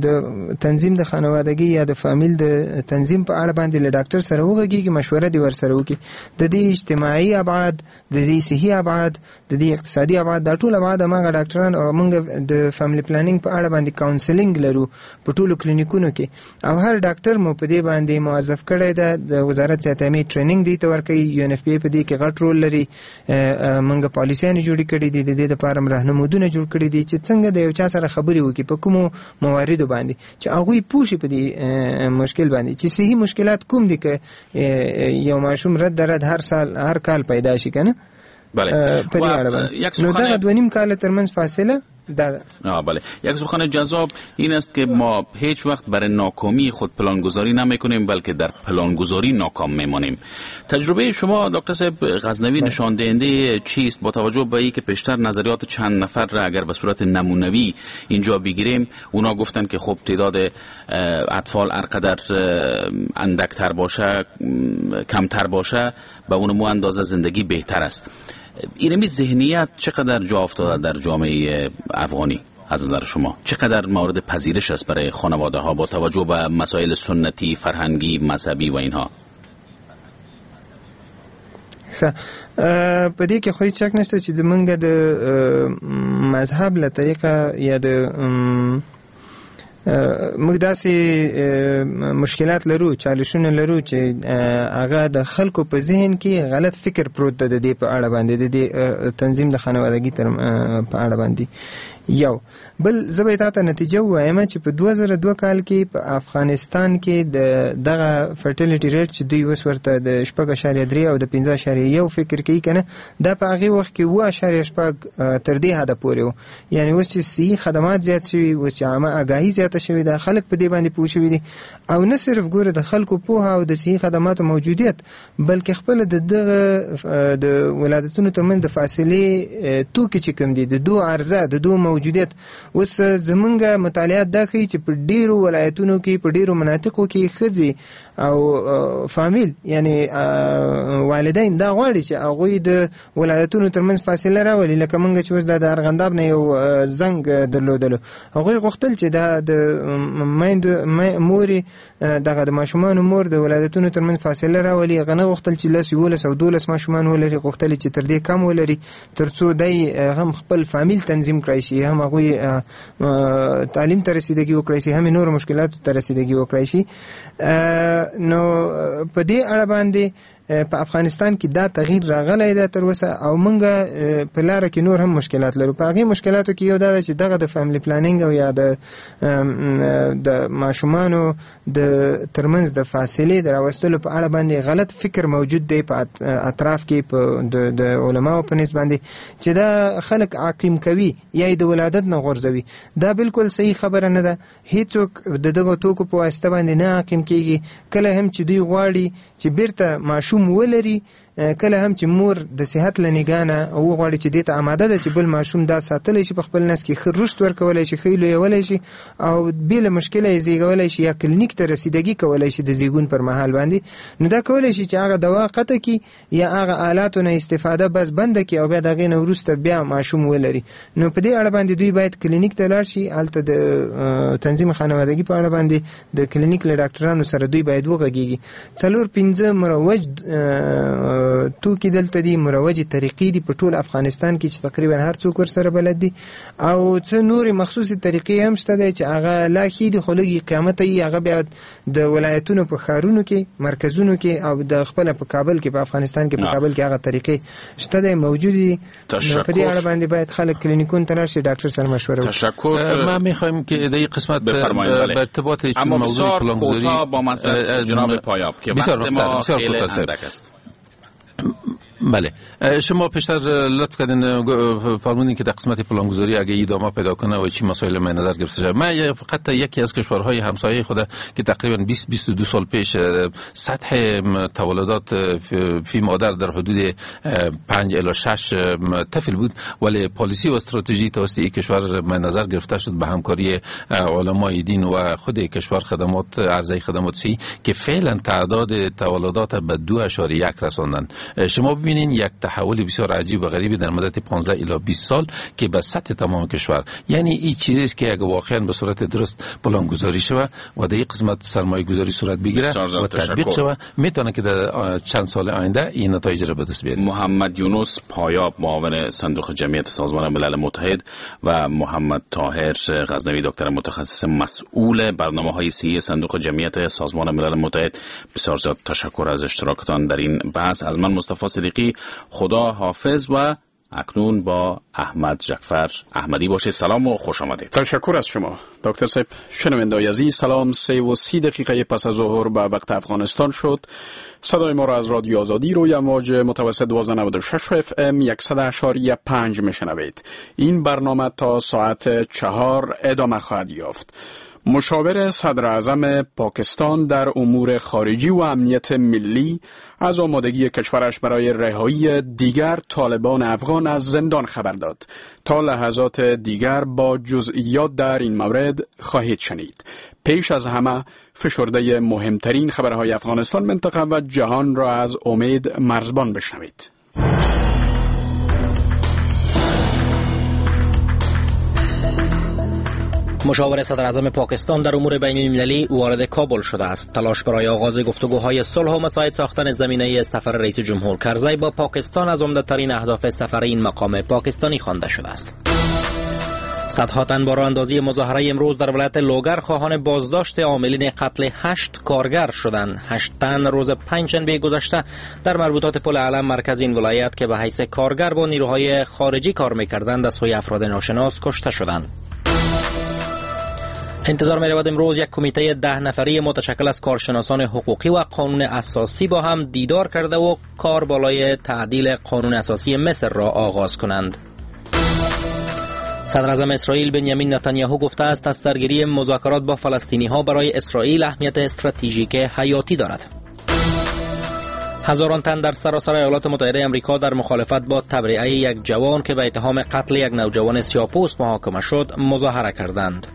د تنظیم د خانوادګي یا د فامیل د تنظیم په اړه باندې له ډاکټر سره وغږیږي، مشوره دې ورسره وکړي. د دې اجتماعي ابعاد، د دې صحي ابعاد، د دې اقتصادي ابعاد، دا ټول ابعاد هماغه ډاکټران او موږ د family planning په اړه باندې counselling لرو په ټولو کلینیکونو کې، او هر ډاکټر مو په دې باندې موظف کړی ده. د وزارت صحت عامې training دی ته ورکوي، یو ان اف پی په دې کې غټ رول لري. موږ پالیسیانې جوړې کړې دي، د دې لپاره هم رهنمودونه جوړ کړي دي چې څنګه د یو چا سره خبرې وکړي په کومو مواردو باندې چې هغوی پوه شي په دې مشکل باندې چې صحي مشکلات کوم دي که یو ماشوم رد رد هر سال هر کال پیدا شي کنه. بله، په دې اړه باندې نو دغه دوه نیم کاله ترمنځ فاصله در آه بله. یک سخن جذاب این است که ما هیچ وقت برای ناکامی خود پلانگذاری نمیکنیم، بلکه در پلانگذاری ناکام میمانیم. تجربه شما دکتر صاحب غزنوی نشان دهنده چیست؟ با توجه به اینکه پیشتر نظریات چند نفر را اگر به صورت نمونوی اینجا بگیریم، اونا گفتن که خب تعداد اطفال هر قدر اندکتر باشه، کمتر باشه، به اون مو اندازه زندگی بهتر است. اینمی ذهنیت چقدر جا افتاده در جامعه افغانی از نظر شما؟ چقدر مورد پذیرش است برای خانواده ها با توجه به مسائل سنتی، فرهنگی، مذهبی و اینها؟ ښه، په دې کې خو هیڅ شک نشته چې د موږ د مذهب له طریقه یا د موږ داسې مشکلات لرو، چالشونه لرو چې هغه د خلکو په ذهن کې غلط فکر پروت ده د دې په اړه باندې، د دې تنظیم د خانوادګي تر په اړه باندې. یو بل زه به تاته نتیجه ووایم چې په دوه زره دوه کال کې په افغانستان کې د دغه fertility rate چې دوی اوس ورته د شپږ اعشاریه درې او د پنځه اعشاریه یو فکر کوي که نه، دا په هغې وخت کې اووه اعشاریه شپږ تر دې حده پورې و. یعنې اوس چې صحي خدمات زیات شوي، اوس چې عامه آګاهي زیاته شوې ده، خلک په دې باندې پوه شوي دي، او نه صرف ګوره د خلکو پوهه او د صحي خدماتو موجودیت، بلکې خپله د دغه د ولادتونو ترمنځ د فاصلې توکي چې کوم دي، د دوو عرضه، د دوو موجودیت. اوس زمونږ مطالعات دا ښيي چې په ډیرو ولایتونو کې، په ډیرو مناطقو کې ښځې او فامیل یعنی والدین دا غواړي چې هغوی د ولادتونو ترمنځ فاصله راولي. لکه مونږ چې اوس دا د ارغنداب نه یو زنګ درلودلو، هغوی غوښتل چې دا د میندو مورې دغه د ماشومانو مور د ولادتونو ترمنځ فاصله راولي. هغه نه غوښتل چې لس، یولس او دولس ماشومان ولري، غوښتل چې تر دې کم ولري ترڅو دی هم خپل فامیل تنظیم کړای شي، هم هغوی تعلیم ته رسیدګي وکړای شي، هم نورو مشکلاتو ته رسیدګي وکړای شي. نو په دې اړه باندې په افغانستان کې دا تغییر راغلی دی تر اوسه، او موږ په لاره کې نور هم مشکلات لرو. په هغې مشکلاتو کې یو دا ده چې دغه د family planning او یا د د ماشومانو د ترمنځ د فاصلې د راوستلو په اړه باندې غلط فکر موجود دی په اطراف کې، په د علماو په نسبت باندې چې دا خلک عقیم کوي یا یې د ولادت نه غورځوي. دا بالکل صحیح خبره نه ده. هیڅوک د دغو توکو په واسطه باندې نه عقیم کیږي. کله هم چې دوی غواړي چې بیرته ماشوم ولري، کله هم چې مور د صحت له نګاه نه وغواړي چې دې ته اماده ده چې بل ماشوم دا ساتلی شي په خپل نس کې، ښه رشد ورکولی شي، ښه لویولی شي او بې له مشکله یې زیږولی شي یا کلینیک ته رسیدګي کولی شي د زیږون پر مهال باندې، نو دا کولی شي چې هغه دوا قطع کړي یا هغه آلاتو نه استفاده بس بنده کړي او بیا د هغې نه وروسته بیا ماشوم ولري. نو په دې اړه باندې دوی باید کلینیک ته لاړ شي، هلته د تنظیم خانوادګي په اړه باندې د کلینیک له ډاکټرانو سره دوی باید وغږیږي. څلور پنځه مروج توکي دلته دي، مروجې طریقې دي په ټول افغانستان کې چې تقریبا هر څوک ورسره بلد دي، او څه نورې مخصوصې طریقې هم شته دی چې هغه لا ښې دي خو لږې قیمته یي. هغه بیا د ولایتونو په ښارونو کې، مرکزونو کې او د خپله په کابل کې، په افغانستان کې په کابل کې هغه طریقې شته دی، موجود دي. په دې اړه باندې باید خلک کلینیکونو ته لاړ شي، ډاکټر سره مشوره وکړي. تشکر. ما میخوایم که در این قسمت به ارتباط چون موضوع پلانگذاری با جناب پایاب که وقت ما خیلی اندک است. بله، شما پیشتر لطف کردین فرمودین که در قسمت پلانگذاری اگه ادامه پیدا کنه و چی مسائل من نظر گرفته شده. من فقط یکی از کشورهای همسایه خود که تقریبا بیست بیست و دو سال پیش سطح تولدات فی مادر در حدود پنج الی شش طفل بود، ولی پالیسی و استراتژی توسط این کشور من نظر گرفته شد به همکاری علمای دین و خود کشور خدمات عرضه خدمات سی که فعلا تعداد تولدات به دو اعشاریه یک رساندن. شما ببینین یک تحول بسیار عجیب و غریبی در مدت پانزده الی بیست سال که به سطح تمام کشور، یعنی این چیزی است که اگه واقعا به صورت درست پلانگذاری شود و در این قسمت سرمایه گذاری صورت بگیره و تطبیق شود، میتونه که در چند سال آینده این نتایج را به دست بیاره. محمد یونس پایاب، معاون صندوق جمعیت سازمان ملل متحد، و محمد طاهر غزنوی، دکتر متخصص مسئول برنامه‌های صحی صندوق جمعیت سازمان ملل متحد، بسیار زیاد تشکر از اشتراکتان در این بحث. از من مصطفی صدیقی، خدا حافظ و اکنون با احمد جعفر احمدی باشه. سلام و خوش آمدید. تشکر از شما دکتر صاحب. شنونده‌های عزیز سلام. سه و سی دقیقه پس از ظهر به وقت افغانستان شد. صدای ما را از رادیو آزادی روی امواج متوسط دوازده نود و شش اف ام صد و پنج میشنوید. این برنامه تا ساعت چهار ادامه خواهد یافت. مشاور صدر اعظم پاکستان در امور خارجی و امنیت ملی از آمادگی کشورش برای رهایی دیگر طالبان افغان از زندان خبر داد. تا لحظات دیگر با جزئیات در این مورد خواهید شنید. پیش از همه فشرده مهمترین خبرهای افغانستان، منطقه و جهان را از امید مرزبان بشنوید. مشاور صدر اعظم پاکستان در امور بین المللی وارد کابل شده است. تلاش برای آغاز گفتگوهای صلح و مساعد ساختن زمینه سفر رئیس جمهور کرزی با پاکستان از عمده‌ترین اهداف سفر این مقام پاکستانی خوانده شده است. صدها تن با راه اندازی مظاهره امروز در ولایت لوگر خواهان بازداشت عاملین قتل هشت کارگر شدند. هشت تن روز پنجشنبه گذشته در مربوطات پل علم مرکز این ولایت که به حیث کارگر با نیروهای خارجی کار می‌کردند از سوی افراد ناشناس کشته شدند. انتظار می رود امروز یک کمیته ده نفری متشکل از کارشناسان حقوقی و قانون اساسی با هم دیدار کرده و کار بالای تعدیل قانون اساسی مصر را آغاز کنند. صدر اعظم اسرائیل بنیامین نتانیاهو گفته است از سرگیری مذاکرات با فلسطینی ها برای اسرائیل اهمیت استراتژیک حیاتی دارد. هزاران تن در سراسر ایالات متحده آمریکا در مخالفت با تبرئه یک جوان که به اتهام قتل یک نوجوان سیاه‌پوست محاکمه شد مظاهره کردند.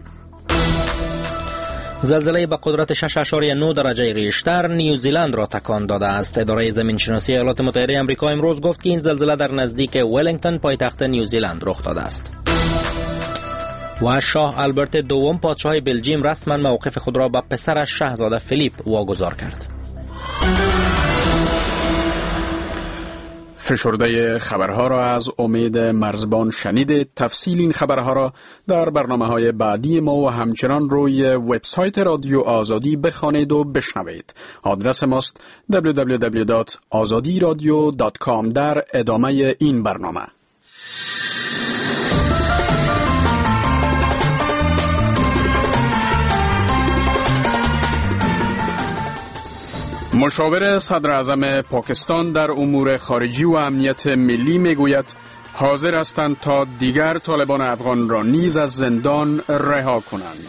زلزله به قدرت شش اعشاریه نه درجه ریشتر نیوزیلند را تکان داده است. اداره زمینشناسی ایالات متحده آمریکا امروز گفت که این زلزله در نزدیک ولینگتون پایتخت نیوزیلند رخ داده است. و شاه آلبرت دوم پادشاه بلژیم رسما موقف خود را به پسرش شاهزاده فیلیپ واگذار کرد. فشرده خبرها را از امید مرزبان شنیدید. تفصیل این خبرها را در برنامه‌های بعدی ما و همچنان روی وبسایت رادیو آزادی بخوانید و بشنوید. آدرس ماست دبلیو دبلیو دبلیو دات آزادی رادیو دات کام. در ادامه این برنامه مشاور صدر اعظم پاکستان در امور خارجی و امنیت ملی میگوید حاضر هستند تا دیگر طالبان افغان را نیز از زندان رها کنند.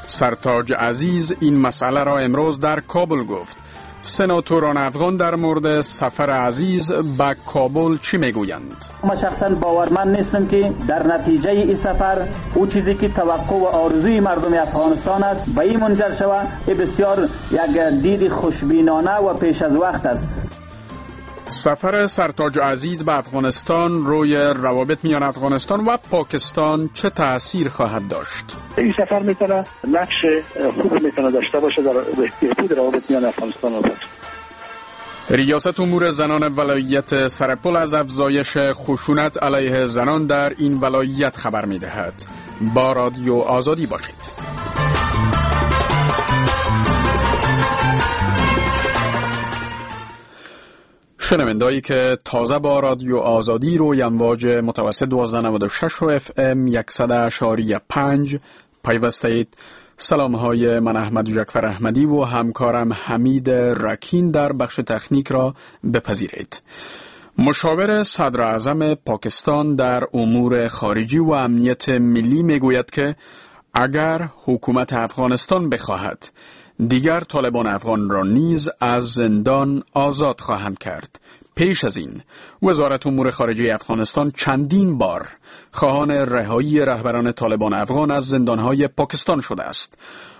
سرتاج عزیز این مسئله را امروز در کابل گفت. سناتوران افغان در مورد سفر عزیز به کابل چی میگویند؟ ما شخصا باورمند نیستم که در نتیجه این سفر او چیزی که توقع و آرزوی مردم افغانستان است به این منجر شود. این بسیار یک دید خوشبینانه و پیش از وقت است. سفر سرتاج عزیز به افغانستان روی روابط میان افغانستان و پاکستان چه تأثیر خواهد داشت؟ این سفر میتونه نقش خوب میتونه داشته باشه در بهبود روابط میان افغانستان و پاکستان. ریاست امور زنان ولایت سرپل از افزایش خشونت علیه زنان در این ولایت خبر میدهد. با رادیو آزادی باشید. شنوندهایی که تازه با رادیو آزادی روی امواج متوسط دوازده نود و شش و اف ام صد و پنج پیوسته اید، سلام های من احمد جعفر احمدی و همکارم حمید رکین در بخش تکنیک را بپذیرید. مشاور صدر اعظم پاکستان در امور خارجی و امنیت ملی میگوید که اگر حکومت افغانستان بخواهد دیگر طالبان افغان را نیز از زندان آزاد خواهند کرد. پیش از این وزارت امور خارجه افغانستان چندین بار خواهان رهایی رهبران طالبان افغان از زندانهای پاکستان شده است.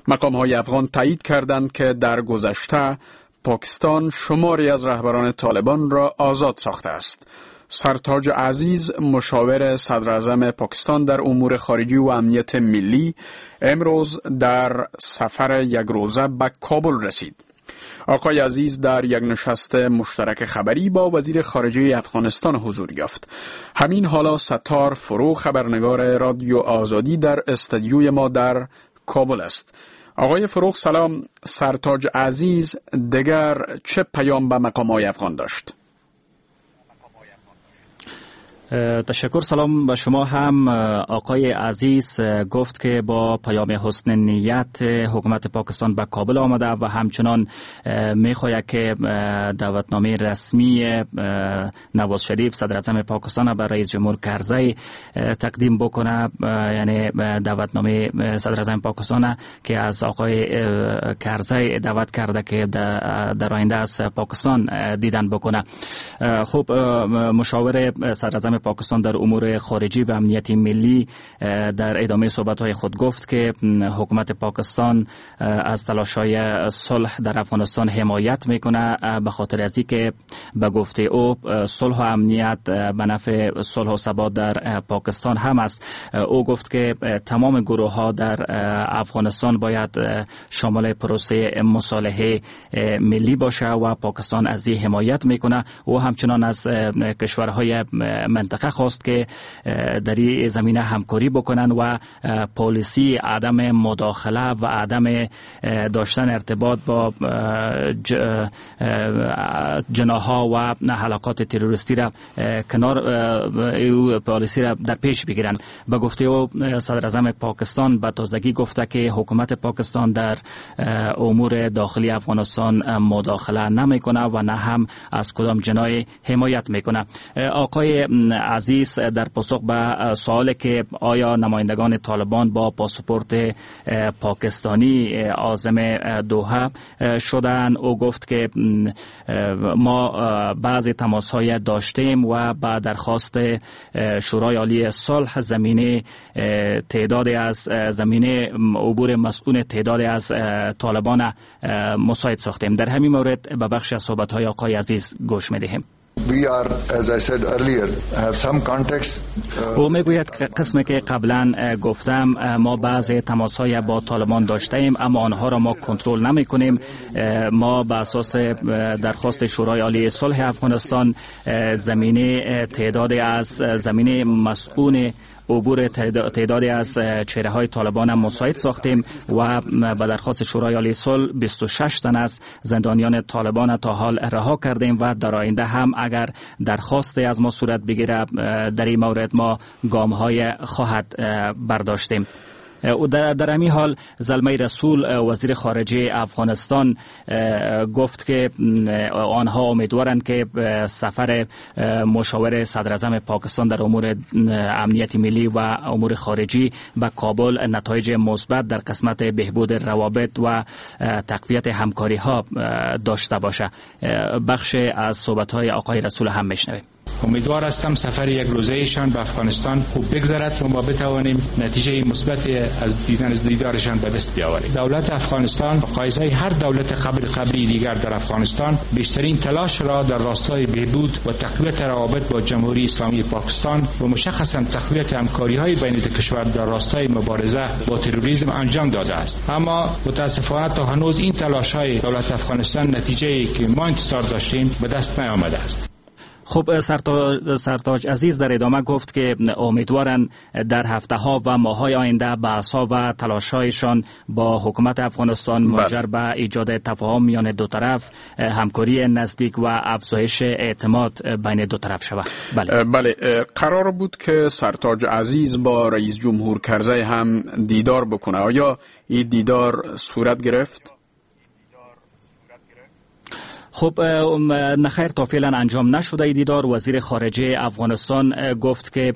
مقام‌های افغان تایید کردند که در گذشته پاکستان شماری از رهبران طالبان را آزاد ساخته است. سرتاج عزیز، مشاور صدر اعظم پاکستان در امور خارجی و امنیت ملی، امروز در سفر یک روزه به کابل رسید. آقای عزیز در یک نشست مشترک خبری با وزیر خارجه افغانستان حضور یافت. همین حالا ستار فرو، خبرنگار رادیو آزادی، در استدیوی ما در کابل است. آقای فروغ سلام. سرتاج عزیز دیگر چه پیام به مقام‌های افغان داشت؟ تشکر، سلام به شما هم. آقای عزیز گفت که با پیام حسن نیت حکومت پاکستان به کابل آمده و همچنان میخواهد که دعوتنامه رسمی نواز شریف صدر اعظم پاکستان به رئیس جمهور کرزی تقدیم بکنه، یعنی دعوتنامه صدر اعظم پاکستان که از آقای کرزی دعوت کرده که در آینده از پاکستان دیدن بکنه. خب مشاور صدر اعظم پاکستان در امور خارجی و امنیت ملی در ادامه صحبت‌های خود گفت که حکومت پاکستان از تلاش‌های صلح در افغانستان حمایت میکنه، به خاطر از اینکه به گفته او صلح و امنیت به نفع صلح و ثبات در پاکستان هم است. او گفت که تمام گروه‌ها در افغانستان باید شامل پروسه مصالحه ملی باشه و پاکستان از این حمایت میکنه. او همچنان از کشورهای منطقه خواست که در این زمینه همکاری بکنن و پالیسی عدم مداخله و عدم داشتن ارتباط با جناح‌ها و حلقات تروریستی را کنار پالیسی را در پیش بگیرن. به گفته او صدر اعظم پاکستان به تازگی گفته که حکومت پاکستان در امور داخلی افغانستان مداخله نمیکنه و نه هم از کدام جناح حمایت میکنه. آقای عزیز در پاسخ به سوال که آیا نمایندگان طالبان با پاسپورت پاکستانی عازم دوحه شدن، او گفت که ما بعضی تماس های داشتیم و با درخواست شورای عالی صلح زمینه تعداد از زمینه عبور مسئول تعداد از طالبان مساعد ساختیم. در همین مورد به بخش از صحبت های آقای عزیز گوش میدهیم. We are, as I said earlier, have some contacts. او میگوید قسمی که قبلا گفتم ما بعض تماس های با طالبان داشتیم، اما آنها را ما کنترل نمی کنیم. ما به اساس درخواست شورای عالی صلح افغانستان زمینه تعداد از زمینه مسئول عبور تعدادی از چهره های طالبان مساعد ساختیم و به درخواست شورای عالی صلح بیست و شش تن از زندانیان طالبان تا حال رها کردیم و در آینده هم اگر درخواست از ما صورت بگیره در این مورد ما گام های خواهد برداشتیم. در در همین حال زلمی رسول وزیر خارجه افغانستان گفت که آنها امیدوارند که سفر مشاور صدر اعظم پاکستان در امور امنیت ملی و امور خارجی به کابل نتایج مثبت در قسمت بهبود روابط و تقویت همکاری ها داشته باشه. بخش از صحبت های آقای رسول هم میشنویم. امیدوار هستم سفر یک روزه ایشان به افغانستان خوب بگذرد و ما بتوانیم نتیجه مثبت از دیدن دیدارشان به دست بیاوریم. دولت افغانستان مقایسه هر دولت قبل قبلی دیگر در افغانستان بیشترین تلاش را در راستای بهبود و تقویت روابط با جمهوری اسلامی پاکستان و مشخصا تقویت همکاری‌های بین دو کشور در راستای مبارزه با تروریسم انجام داده است. اما متاسفانه تا هنوز این تلاش‌های دولت افغانستان نتیجه‌ای که ما انتظار داشتیم به دست نیامده است. خب سرتاج عزیز در ادامه گفت که امیدوارند در هفته ها و ماه های آینده بحث ها و تلاش هایشان با حکومت افغانستان منجر به ایجاد تفاهم میان دو طرف، همکاری نزدیک و افزایش اعتماد بین دو طرف شود. بله. بله، قرار بود که سرتاج عزیز با رئیس جمهور کرزی هم دیدار بکنه. آیا این دیدار صورت گرفت؟ خب نخیر، تا فعلا انجام نشده دیدار. وزیر خارجه افغانستان گفت که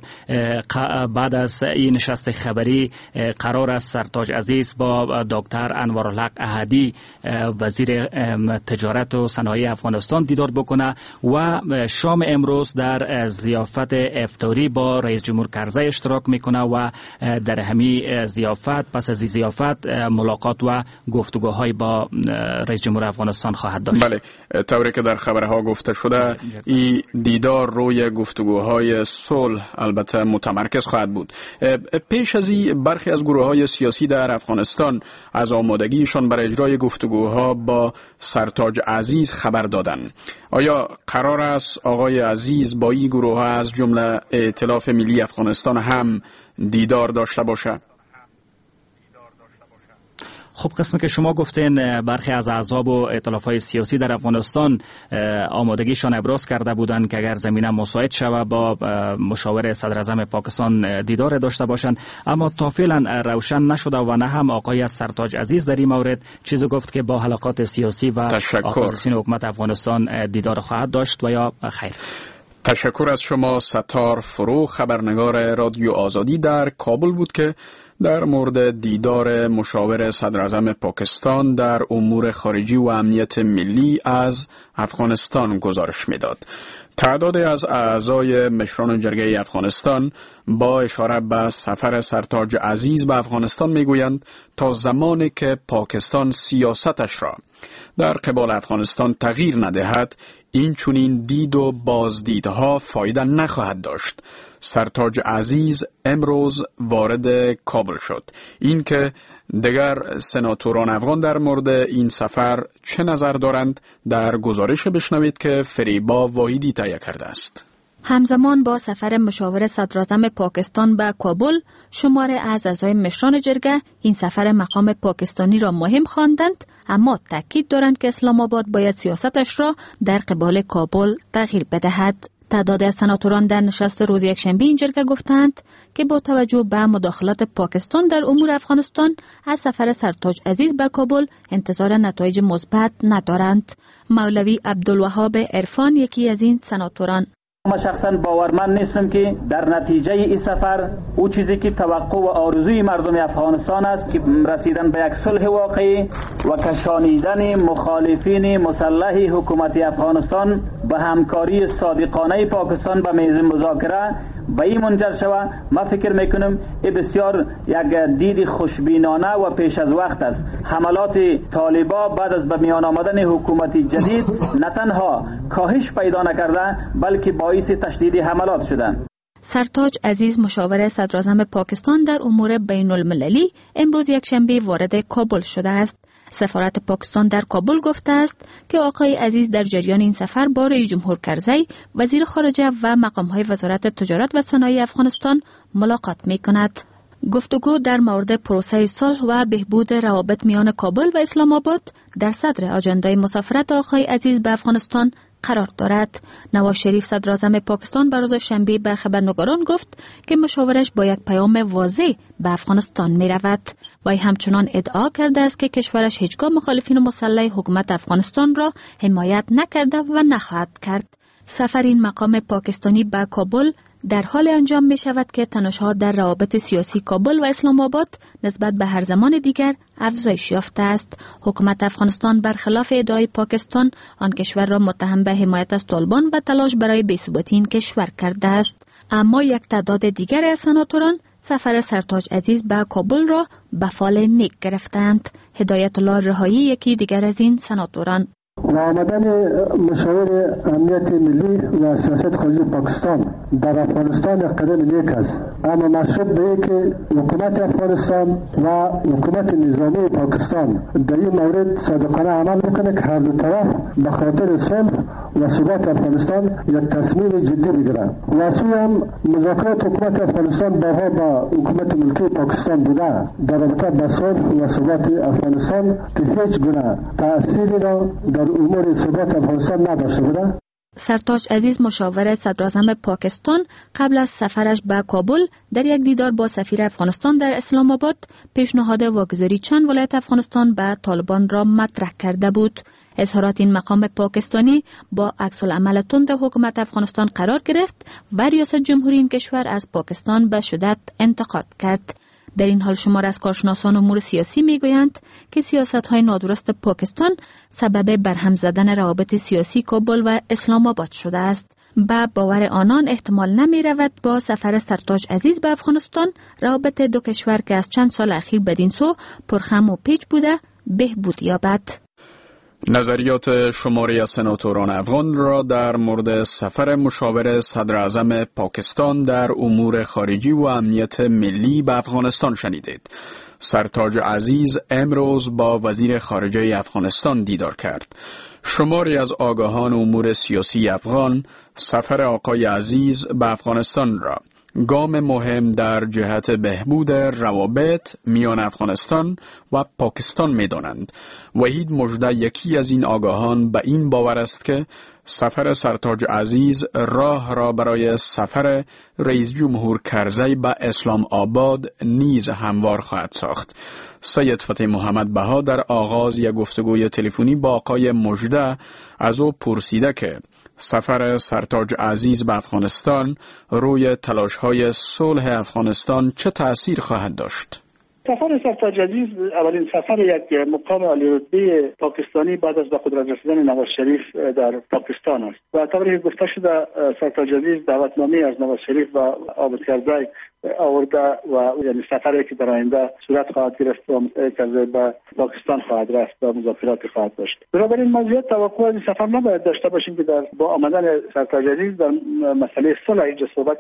بعد از این نشست خبری قرار است سرتاج عزیز با دکتر انوارالحق احدی وزیر تجارت و صنایع افغانستان دیدار بکنه و شام امروز در ضیافت افطاری با رئیس جمهور کرزی اشتراک میکنه و در همی ضیافت، پس از ضیافت ملاقات و گفتگوهای با رئیس جمهور افغانستان خواهد داشت. بله، طوری که در خبرها گفته شده این دیدار روی گفتگوهای صلح البته متمرکز خواهد بود. پیش از این برخی از گروه‌های سیاسی در افغانستان از آمادگیشان برای اجرای گفتگوها با سرتاج عزیز خبر دادند. آیا قرار است آقای عزیز با این گروه‌ها از جمله ائتلاف ملی افغانستان هم دیدار داشته باشد؟ خب قسمی که شما گفتین برخی از احزاب و ائتلاف‌های سیاسی در افغانستان آمادگیشان ابراز کرده بودند که اگر زمینه مساعد شود با مشاور صدر اعظم پاکستان دیدار داشته باشند، اما تا فعلا روشن نشده و نه هم آقای سرتاج عزیز در این مورد چیزی گفت که با حلقات سیاسی و اپوزیسیون حکومت افغانستان دیدار خواهد داشت و یا خیر. تشکر از شما. ستار فرو، خبرنگار رادیو آزادی در کابل بود که در مورد دیدار مشاور صدر اعظم پاکستان در امور خارجی و امنیت ملی از افغانستان گزارش میداد. تعداد از اعضای مشران جرگه افغانستان با اشاره به سفر سرتاج عزیز به افغانستان میگویند تا زمانی که پاکستان سیاستش را در قبال افغانستان تغییر ندهد، این چنین دید و بازدیدها فایده نخواهد داشت. سرتاج عزیز امروز وارد کابل شد. اینکه دیگر سناتوران افغان در مورد این سفر چه نظر دارند در گزارش بشنوید که فریبا واحدی تهیه کرده است. همزمان با سفر مشاور صدراعظم پاکستان به کابل، شمار از اعضای مشران جرگه این سفر مقام پاکستانی را مهم خواندند، اما تاکید دارند که اسلام آباد باید سیاستش را در قبال کابل تغییر بدهد. تعداد از سناتوران در نشست روز یکشنبه این جرگه گفتند که با توجه به مداخلات پاکستان در امور افغانستان از سفر سرتاج عزیز به کابل انتظار نتایج مثبت ندارند. مولوی عبدالوهاب عرفان یکی از این سناتوران: ما شخصا باورمند نیستم که در نتیجه این سفر او چیزی که توقع و آرزوی مردم افغانستان است که رسیدن به یک صلح واقعی و کشانیدن مخالفین مسلح حکومت افغانستان به همکاری صادقانه پاکستان به میز مذاکره به این منجر شود، ما فکر میکنم این بسیار یک دید خوشبینانه و پیش از وقت است. حملات طالبا بعد از به میان آمدن حکومت جدید نه تنها کاهش پیدا نکرده بلکه باعث تشدید حملات شدند. سرتاج عزیز مشاور صدراعظم پاکستان در امور بین المللی امروز یکشنبه وارد کابل شده است. سفارت پاکستان در کابل گفته است که آقای عزیز در جریان این سفر با رئیس جمهور کرزی، وزیر خارجه و مقام‌های وزارت تجارت و صنایع افغانستان ملاقات می‌کند. گفتگو در مورد پروسه صلح و بهبود روابط میان کابل و اسلام آباد در صدر آجندای مسافرت آقای عزیز به افغانستان قرار دارد. نواز شریف صدراعظم پاکستان بر روز شنبه به خبرنگاران گفت که مشاورش با یک پیام واضح به افغانستان می رود. وی همچنان ادعا کرده است که کشورش هیچگاه مخالفین مسلح حکومت افغانستان را حمایت نکرده و نخواهد کرد. سفر این مقام پاکستانی به کابل در حال انجام می شود که تنش‌ها در روابط سیاسی کابل و اسلام آباد نسبت به هر زمان دیگر افزایش یافته است. حکومت افغانستان برخلاف ادعای پاکستان آن کشور را متهم به حمایت از طالبان و تلاش برای بی‌ثباتی این کشور کرده است. اما یک تعداد دیگر از سناتوران سفر سرتاج عزیز به کابل را به فال نیک گرفتند. هدایت الله رهایی یکی دیگر از این سناتوران: و آمدن مشاور امنیت ملی و سیاست خارجی پاکستان در افغانستان یک قدم نیک است، اما مشروط به اینکه حکومت افغانستان و حکومت نظامی پاکستان در این مورد صادقانه عمل بکنه که هر دو طرف به خاطر صلح و ثبات افغانستان یک تصمیم جدی بگیرند. و سوی هم مذاکرات حکومت افغانستان بارها با حکومت ملکی پاکستان بوده در رابطه با صلح و ثبات افغانستان که هیچ گونه تأثیری را در امور ثبات افغانستان نداشته بوده. سرتاج عزیز مشاور صدراعظم پاکستان قبل از سفرش به کابل در یک دیدار با سفیر افغانستان در اسلام آباد پیشنهاد واگذاری چند ولایت افغانستان به طالبان را مطرح کرده بود. اظهارات این مقام پاکستانی با عکس العمل تند حکومت افغانستان قرار گرفت و ریاست جمهوری این کشور از پاکستان به شدت انتقاد کرد. در این حال شمار از کارشناسان امور سیاسی میگویند که سیاست‌های نادرست پاکستان سبب برهم زدن روابط سیاسی کابل و اسلام آباد شده است. به باور آنان احتمال نمی رود با سفر سرتاج عزیز به افغانستان روابط دو کشور که از چند سال اخیر بدین سو پرخم و پیچ بوده بهبود یابد. نظریات شماری از سناتوران افغان را در مورد سفر مشاور صدراعظم پاکستان در امور خارجی و امنیت ملی به افغانستان شنیدید. سرتاج عزیز امروز با وزیر خارجه افغانستان دیدار کرد. شماری از آگاهان امور سیاسی افغان سفر آقای عزیز به افغانستان را گام مهم در جهت بهبود روابط میان افغانستان و پاکستان می دانند. وحید مژده یکی از این آگاهان به این باور است که سفر سرتاج عزیز راه را برای سفر رئیس جمهور کرزی به اسلام آباد نیز هموار خواهد ساخت. سید فتح محمد بها در آغاز یک گفتگوی تلفنی با آقای مژده از او پرسیده که سفر سرتاج عزیز به افغانستان روی تلاش‌های صلح افغانستان چه تأثیر خواهد داشت؟ سفر سرتاج عزیز اولین سفر یک مقام عالی رتبه پاکستانی بعد از به قدرت رسیدن نواز شریف در پاکستان است و طوری که گفته شده سرتاج عزیز دعوتنامه از نواز شریف و عابد کرزی آورده و یعنی سفری که در آینده صورت خواهد گرفت و کرزی به پاکستان خواهد رفت و مذاکرات خواهد داشت. بنابراین ما زیاد توقع از سفر نباید داشته باشیم که در با آمدن سرتاج عزیز در مسئله صلح اینجا صحبت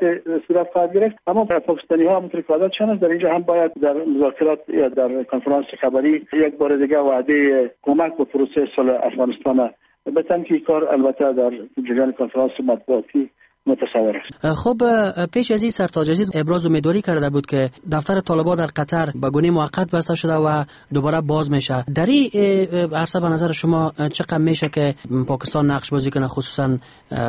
صورت خواهد گرفت، اما پاکستانی ها همونطور که عادتشان است در اینجا هم باید در مذاکرات یا در کنفرانس خبری یک بار دیگه وعده کمک به پروسه صلح افغانستان بدن که کار البته در جریان کنفرانس مطبوعاتی متصور است. خب پیش از این سرتاج عزیز ابراز امیدواری کرده بود که دفتر طالبان در قطر به گونه موقت بسته شده و دوباره باز میشه. در این عرصه به نظر شما چقدر میشه که پاکستان نقش بازی کنه، خصوصا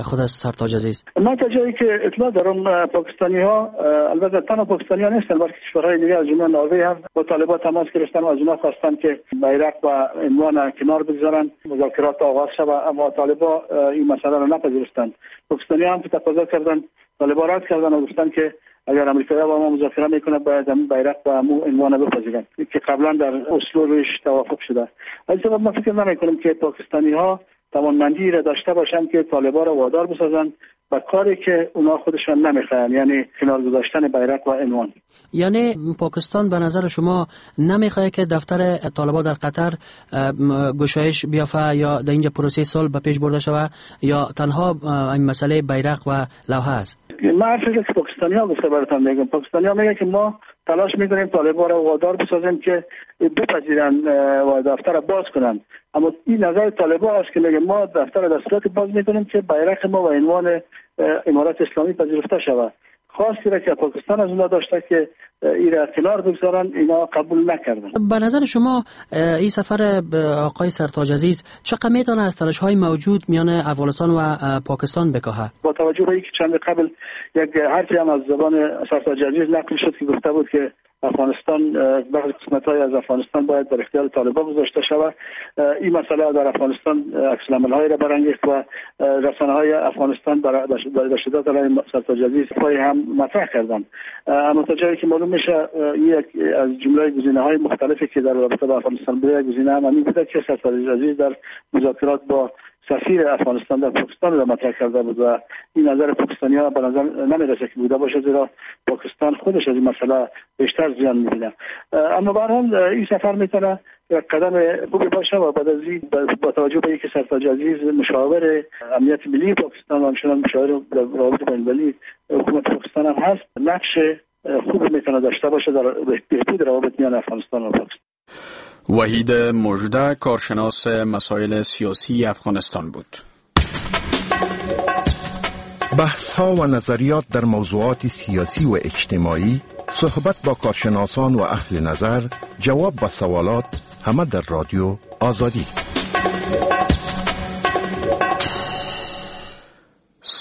خود از سرتاج عزیز؟ من تا جایی که اطلاع دارم پاکستانی ها، البته تنها پاکستانی ها نیستن بلکه کشورهای دیگه از جمله نروژ هم با طالبان تماس گرفتن و از اونها خواستن که بیرق و عنوان کنار بگذارن، مذاکرات آغاز شود، اما طالبان این مسئله را نپذیرفتند. پاکستانی هم تقاضا کردن، طالبان رد کردن و گفتن که اگر امریکایی‌ها با ما مذاکره میکنه باید هم بیرق و همو عنوان بپذیرن که قبلا در اسلو روش توافق شده. از سبب من فکر نمیکنم که پاکستانی‌ها توانمندی را داشته باشند که طالبان را وادار بسازن به کاری که اونا خودشان نمیخوان، یعنی کنار گذاشتن بیرق و عنوان. یعنی پاکستان به نظر شما نمیخواد که دفتر طالبان در قطر گشایش بیافه یا در اینجا پروسه صلح به پیش برده شود، یا تنها این مسئله بیرق و لوحه است؟ من حرفی که پاکستانی ها گفته براتون میگم. پاکستانی ها میگه که ما تلاش میکنیم طالبان را وادار بسازیم که بپذیرن و دفتر را باز کنن، اما این نظر طالبان است که میگه ما دفتر را در صورت باز میکنیم که بیرق ما و عنوان امارت اسلامی پذیرفته شود. خواستی را که پاکستان از اونها داشته که این را کنار بگذارن، اینا قبول نکردن. به نظر شما این سفر آقای سرتاج عزیز چقدر میتونه از تنش‌های موجود میان افغانستان و پاکستان بکاهه؟ با توجه به اینکه چند قبل یک حرفی هم از زبان سرتاج عزیز نقل شد که گفته بود که افغانستان بعضی قسمت‌های از افغانستان باید در اختیار طالبان گذاشته شود، این مسئله در افغانستان عکس‌العمل‌هایی را برانگیخت و رسانه‌های افغانستان برای شدت علیه سرتاج عزیز پای هم مطرح کردند. اما تا جایی که معلوم میشه یک از جمله گزینه‌های مختلفی که در رابطه با افغانستان بوده، گزینه هم همین بوده که سرتاج عزیز در مذاکرات با سفیر افغانستان در پاکستان را مطرح کرده بود و این نظر پاکستانی‌ها به نظر نمی‌رسه که بوده باشه، زیرا پاکستان خودش از این مسئله بیشتر زیان می‌بینه. اما به هر حال این سفر میتونه یک قدم خوبی باشه و بعد از این با توجه به اینکه سرتاج عزیز مشاور امنیت ملی پاکستان و همچنان مشاور روابط بین‌المللی حکومت پاکستان هم هست، نقش خوبی میتونه داشته باشه در بهبود روابط میان افغانستان و پاکستان. وحید مژده کارشناس مسائل سیاسی افغانستان بود. بحث ها و نظریات در موضوعات سیاسی و اجتماعی، صحبت با کارشناسان و اهل نظر، جواب به سوالات، همه در رادیو آزادی.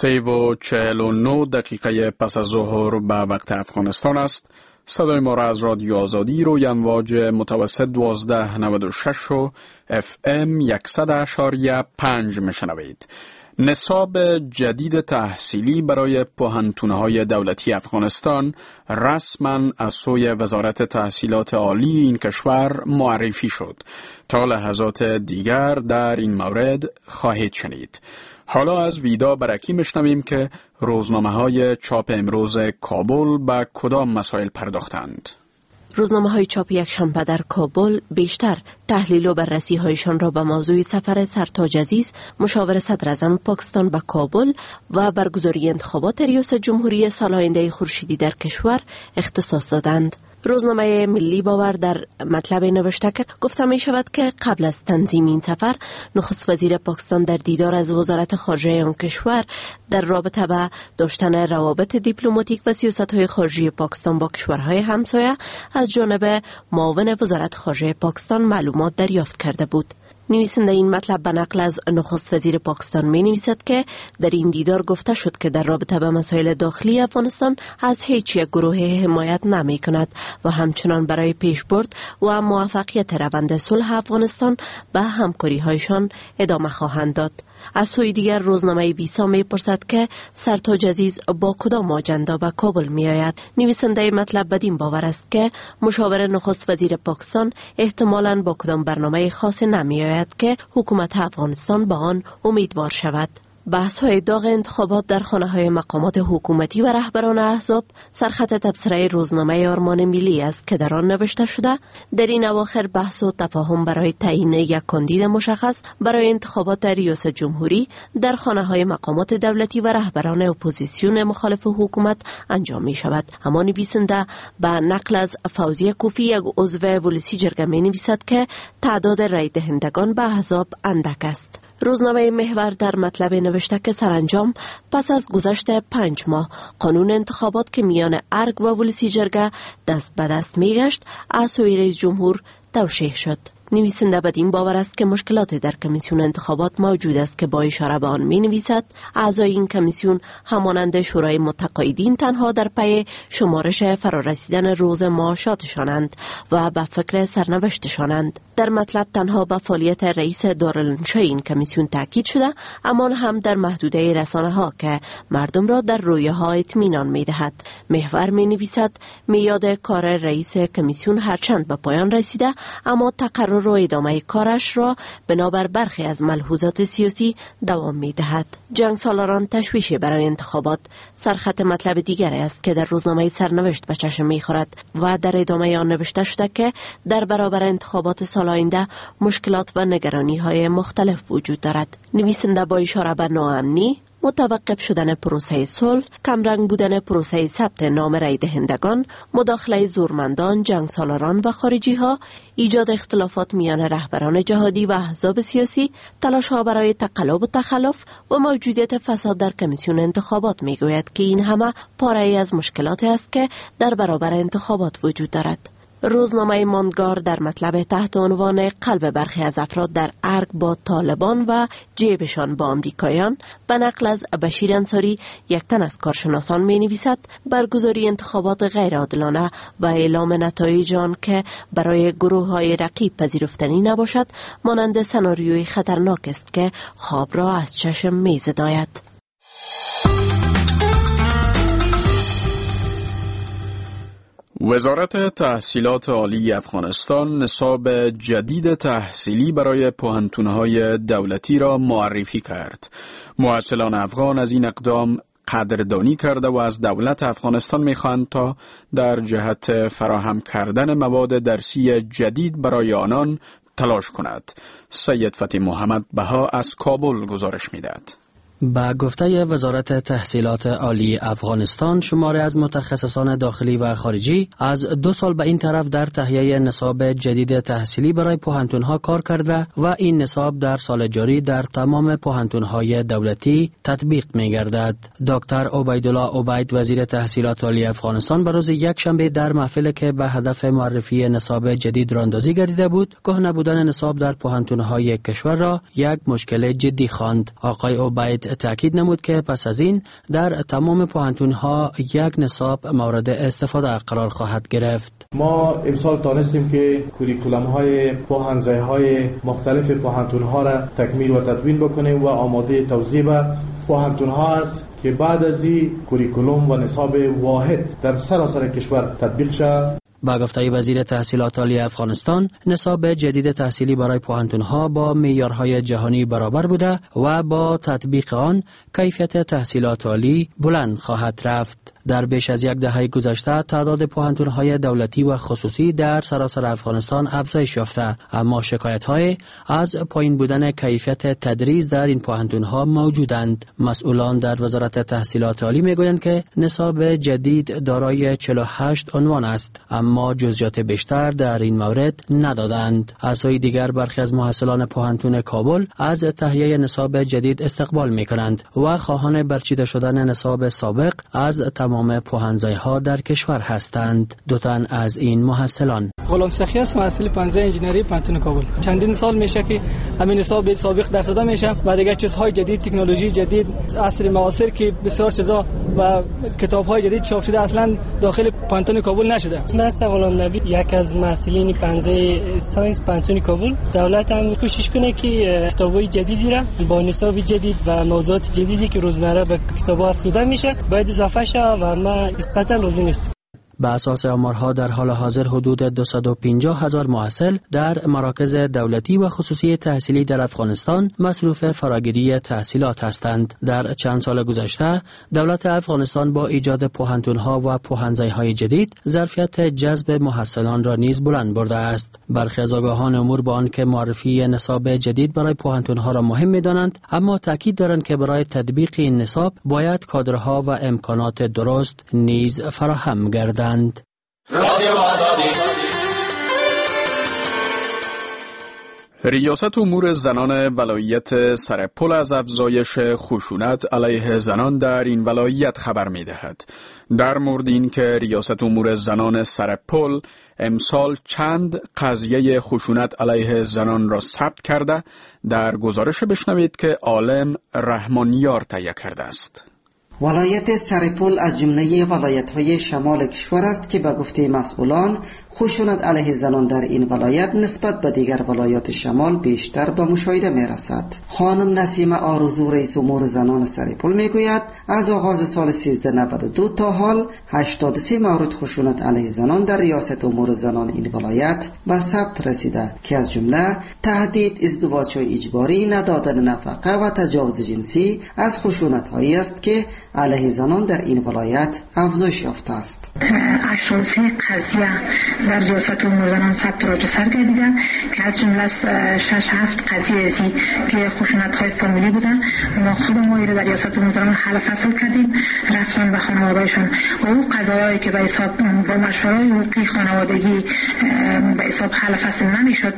سه و چهل و نه دقیقه پس از ظهر به وقت افغانستان است. صدای ما را از رادیو آزادی روی امواج متوسط دوازده نود و شش و اف ام صد و پنج میشنوید. نصاب جدید تحصیلی برای پوهنتون‌های دولتی افغانستان رسما از سوی وزارت تحصیلات عالی این کشور معرفی شد. تا لحظات دیگر در این مورد خواهید شنید. حالا از ویدا برکی مشنویم که روزنامه‌های چاپ امروز کابل به کدام مسائل پرداختند. روزنامه های چاپ یکشنبه در کابل بیشتر تحلیل و بررسی هایشان را به موضوع سفر سرتاج عزیز مشاور صدراعظم پاکستان به کابل و برگزاری انتخابات ریاست جمهوری سال آینده خورشیدی در کشور اختصاص دادند. روزنامه ملی باور در مطلب نوشته که گفته می شود که قبل از تنظیم این سفر نخست وزیر پاکستان در دیدار از وزارت خارجه آن کشور در رابطه با داشتن روابط دیپلماتیک و سیاست های خارجی پاکستان با کشورهای همسایه از جانب معاون وزارت خارجه پاکستان معلومات دریافت کرده بود. نویسنده این مطلب به نقل از نخست وزیر پاکستان می نویسد که در این دیدار گفته شد که در رابطه به مسائل داخلی افغانستان از هیچ یک گروه حمایت نمی کند و همچنان برای پیشبرد و موفقیت روند صلح افغانستان به همکاری هایشان ادامه خواهند داد. از سوی دیگر روزنامه ویسا می پرسد که سرتاج عزیز با کدام آجندا به کابل می آید. نویسنده مطلب بدین باور است که مشاور نخست وزیر پاکستان احتمالاً با کدام برنامه خاص نمی آید که حکومت افغانستان به آن امیدوار شود. بحث های داغ انتخابات در خانه های مقامات حکومتی و رهبران احزاب سرخط تبصره روزنامه آرمان ملی است که در آن نوشته شده در این اواخر بحث و تفاهم برای تعیین یک کاندید مشخص برای انتخابات ریاست جمهوری در خانه های مقامات دولتی و رهبران اپوزیسیون مخالف حکومت انجام می شود. اما نویسنده به نقل از فوزیه کوفی یک عضو ولسی جرگه می نویسد که تعداد رای دهندگان به احزاب اندک است. روزنامه محور در مطلب نوشته که سرانجام پس از گذشت پنج ماه قانون انتخابات که میان ارگ و ولسی جرگه دست به دست میگشت از سوی رئیس جمهور توشیح شد. نویسنده بدین باور است که مشکلات در کمیسیون انتخابات موجود است که با اشاره به آن می نویسد اعضای این کمیسیون همانند شورای متقاعدین تنها در پی شمارش فرارسیدن روز معاشاتشانند و به فکر سرنوشتشانند. در مطلب تنها به فعالیت رئیس دارالانشای این کمیسیون تاکید شده، اما هم در محدوده رسانه ها که مردم را در رویاها اطمینان می دهد. محور می نویسد میعاد کار رئیس کمیسیون هرچند به پایان رسیده، اما تقرر و ادامه کارش را بنابر برخی از ملحوظات سیاسی دوام می دهد. جنگ سالاران تشویش برای انتخابات سرخط مطلب دیگری است که در روزنامه سرنوشت به چشم می خورد و در ادامه آن نوشته شده که در برابر انتخابات سال آینده مشکلات و نگرانی های مختلف وجود دارد. نویسنده با اشاره به ناامنی، متوقف شدن پروسه صلح، کمرنگ بودن پروسه ثبت نام رای دهندگان، مداخله زورمندان، جنگ سالاران و خارجی ها، ایجاد اختلافات میان رهبران جهادی و احزاب سیاسی، تلاش ها برای تقلب و تخلف و موجودیت فساد در کمیسیون انتخابات می گوید که این همه پاره از مشکلات است که در برابر انتخابات وجود دارد. روزنامه ماندگار در مطلب تحت عنوان قلب برخی از افراد در ارگ با طالبان و جیبشان با آمریکایان به نقل از بشیر انصاری یک تن از کارشناسان می نویسد برگزاری انتخابات غیر عادلانه و اعلام نتایج آن که برای گروه های رقیب پذیرفتنی نباشد مانند سناریوی خطرناک است که خواب را از چشم می زداید. وزارت تحصیلات عالی افغانستان نصاب جدید تحصیلی برای پوهنتون‌های دولتی را معرفی کرد. محصلان افغان از این اقدام قدردانی کرده و از دولت افغانستان می‌خواهند تا در جهت فراهم کردن مواد درسی جدید برای آنان تلاش کند. سید فتح محمد بها از کابل گزارش می‌دهد. به گفته وزارت تحصیلات عالی افغانستان شماری از متخصصان داخلی و خارجی از دو سال به این طرف در تهیه نصاب جدید تحصیلی برای پوهنتون‌ها کار کرده و این نصاب در سال جاری در تمام پوهنتون‌های دولتی تطبیق می‌گردد. دکتر عبیدالله عبید وزیر تحصیلات عالی افغانستان به روز یکشنبه در محفل که به هدف معرفی نصاب جدید راندازی گردیده بود، کهنه بودن نصاب در پوهنتون‌های کشور را یک مشکل جدی خواند. آقای عبید جدید تاکید نمود که پس از این در تمام پوهنتون‌ها یک نصاب مورد استفاده قرار خواهد گرفت. ما امسال تانستیم که کوریکولم های پوهنځی های مختلف پوهنتون ها را تکمیل و تدوین بکنیم و آماده توزیع به پوهنتون ها است که بعد از این کوریکولوم و نصاب واحد در سراسر کشور تطبیق شود. با گفته وزیر تحصیلات عالی افغانستان، نصاب جدید تحصیلی برای پوهنتون‌ها با معیارهای جهانی برابر بوده و با تطبیق آن کیفیت تحصیلات عالی بلند خواهد رفت. در بیش از یک دهه گذشته تعداد پوهنتون‌های دولتی و خصوصی در سراسر افغانستان افزایش یافته، اما شکایت‌های از پایین بودن کیفیت تدریس در این پوهنتون‌ها موجودند. مسئولان در وزارت تحصیلات عالی می‌گویند که نصاب جدید دارای چهل و هشت عنوان است، اما جزئیات بیشتر در این مورد ندادند. از سوی دیگر برخی از محصلان پوهنتون کابل از تهیه نصاب جدید استقبال می‌کنند و خواهان برچیده شدن نصاب سابق از تمام پوهنځی‌ها در کشور هستند. دو تن از این محصلان: غلام سخی است، محصل پوهنځی انجینری پوهنتون کابل. چندین سال میشه که همین نصاب سابق درس داده میشه و دیگه چیزهای جدید، تکنولوژی جدید، عصر معاصر که بسیار چیزا و کتاب‌های جدید چاپ شده اصلا داخل پوهنتون کابل نشده. من غلام نبی، یک از محصلین پوهنځی science پوهنتون کابل. دولت هم کوشش کنه که کتاب‌های جدیدی را با نصاب جدید و موضوعات جدیدی که روزمره به کتاب‌ها افزوده میشه باید اضافه شه و ما نسبتاً راضی نیستم. به اساس آمارها در حال حاضر حدود دویست و پنجاه هزار محصل در مراکز دولتی و خصوصی تحصیلی در افغانستان مصروف فراگیری تحصیلات هستند. در چند سال گذشته دولت افغانستان با ایجاد پوهنتون‌ها و پوهنځی‌های جدید ظرفیت جذب محصلان را نیز بلند برده است. برخی از آگاهان امور با آنکه معرفی نصاب جدید برای پوهنتون‌ها را مهم می‌دانند، اما تاکید دارند که برای تطبیق این نصاب باید کادرها و امکانات درست نیز فراهم گردند. ریاست امور زنان ولایت سرپل از افزایش خشونت علیه زنان در این ولایت خبر می‌دهد. در مورد اینکه ریاست امور زنان سرپل امسال چند قضیه خشونت علیه زنان را ثبت کرده، در گزارش بشنوید که عالم رحمانیار تهیه کرده است. ولایت سرپل از جمله ولایت‌های شمال کشور است که به گفته مسئولان خشونت علیه زنان در این ولایت نسبت به دیگر ولایات شمال بیشتر به مشاهده می‌رسد. خانم نسیمه آرزو رئیس امور زنان سرپل می‌گوید از آغاز سال سیزده نود و دو تا حال هشتاد و سه مورد خشونت علیه زنان در ریاست امور زنان این ولایت به ثبت رسیده که از جمله تهدید، ازدواج اجباری، ندادن نفقه و تجاوز جنسی از خشونت‌هایی است که علیه زنان در این ولایت افزایش یافته است. هشتاد و سه قضیه در ریاست امور زنان ثبت راجع سر گردیده که از جمله شش هفت قضیه ازی که خشونت‌های فامیلی بودن، ما خود ما در ریاست امور زنان حل فصل کردیم، رفتن به خانواده‌شان و او قضایایی که به حساب با مشوره‌های حقوقی خانوادگی به حساب حل فصل نمیشد،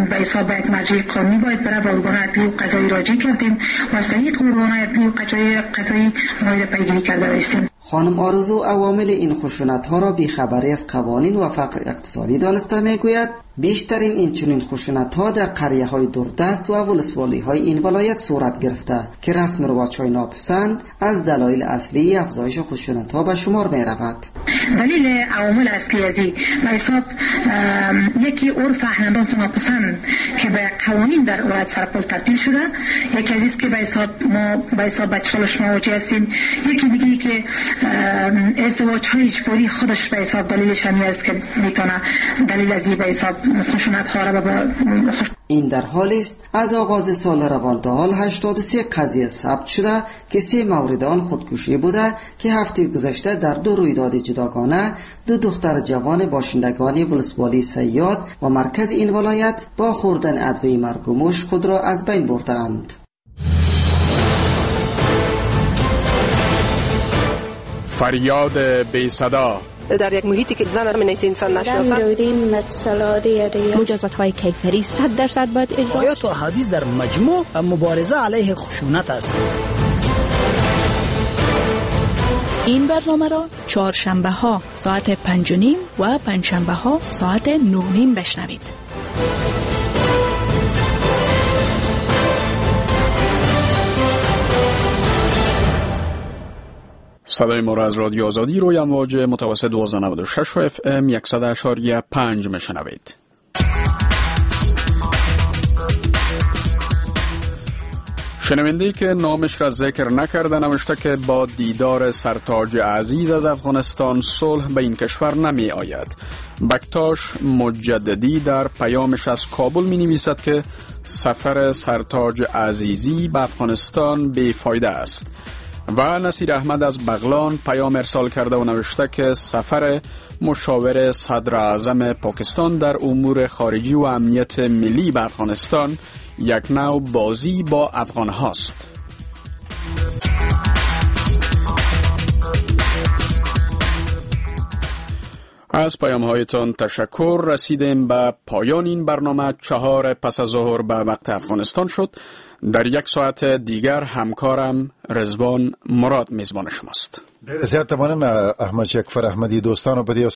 به حساب یک مرجع قانونی باید بره، به ارگان عدلی و قضایی راجع کردیم و از طریق ارگان عدلی و قضایی قضایی ما پیگیری کرده باشیم. خانم آرزو عوامل این خشونت‌ها را بی‌خبری از قوانین و فقر اقتصادی دانسته می‌گوید بیشترین این چنین خشونت‌ها در قریه‌های دوردست و ولسوالی‌های این ولایت صورت گرفته که رسم رواج‌های ناپسند از دلایل اصلی افزایش خشونت‌ها به شمار می‌رود. دلیل عوامل اصلی از این به حساب یکی عرف احناف ناپسند که به قوانین در ولایت سرپل تبدیل شده، یکی از که به حساب ما به حساب بچه‌هاش مواجه هستیم، یکی دیگه که ازدواج‌های اجباری خودش به حساب دلیلش همی است که میتونه دلیل از این به حساب خشونت‌ها را به خوش... این در حالی است از آغاز سال روان تا حال هشتاد و سه قضیه ثبت شده که سه مورد آن خودکشی بوده که هفته گذشته در دو رویداد جداگانه دو دختر جوان باشندگان ولسوالی صیاد و مرکز این ولایت با خوردن ادویه مرگ و موش خود را از بین بردند. فریاد بی صدا در یک محیطی که زن من انسان نشناسن، مجازات های کیفری صد درصد باید اجرا. آیات و احادیث در مجموع مبارزه علیه خشونت است. این برنامه را چهارشنبه ها ساعت پنج و نیم و پنجشنبه ها ساعت نه و نیم بشنوید. صدای ما را از رادیو آزادی روی امواج متوسط دوازده نود و شش اف ام صد و پنج میشنوید. شنونده که نامش را ذکر نکرده نوشته که با دیدار سرتاج عزیز از افغانستان صلح به این کشور نمی آید. بکتاش مجددی در پیامش از کابل می نویسد که سفر سرتاج عزیزی به افغانستان بی‌فایده است. و نصیر احمد از بغلان پیام ارسال کرده و نوشته که سفر مشاور صدر اعظم پاکستان در امور خارجی و امنیت ملی به افغانستان یک نوع بازی با افغان هاست. از پیام هایتان تشکر. رسیدیم به پایان این برنامه. چهار پس از ظهر به وقت افغانستان شد. در یک ساعت دیگر همکارم رضوان مراد میزبان شماست. ډېر زیاته مننه احمد شکفر احمدی. دوستانو په دې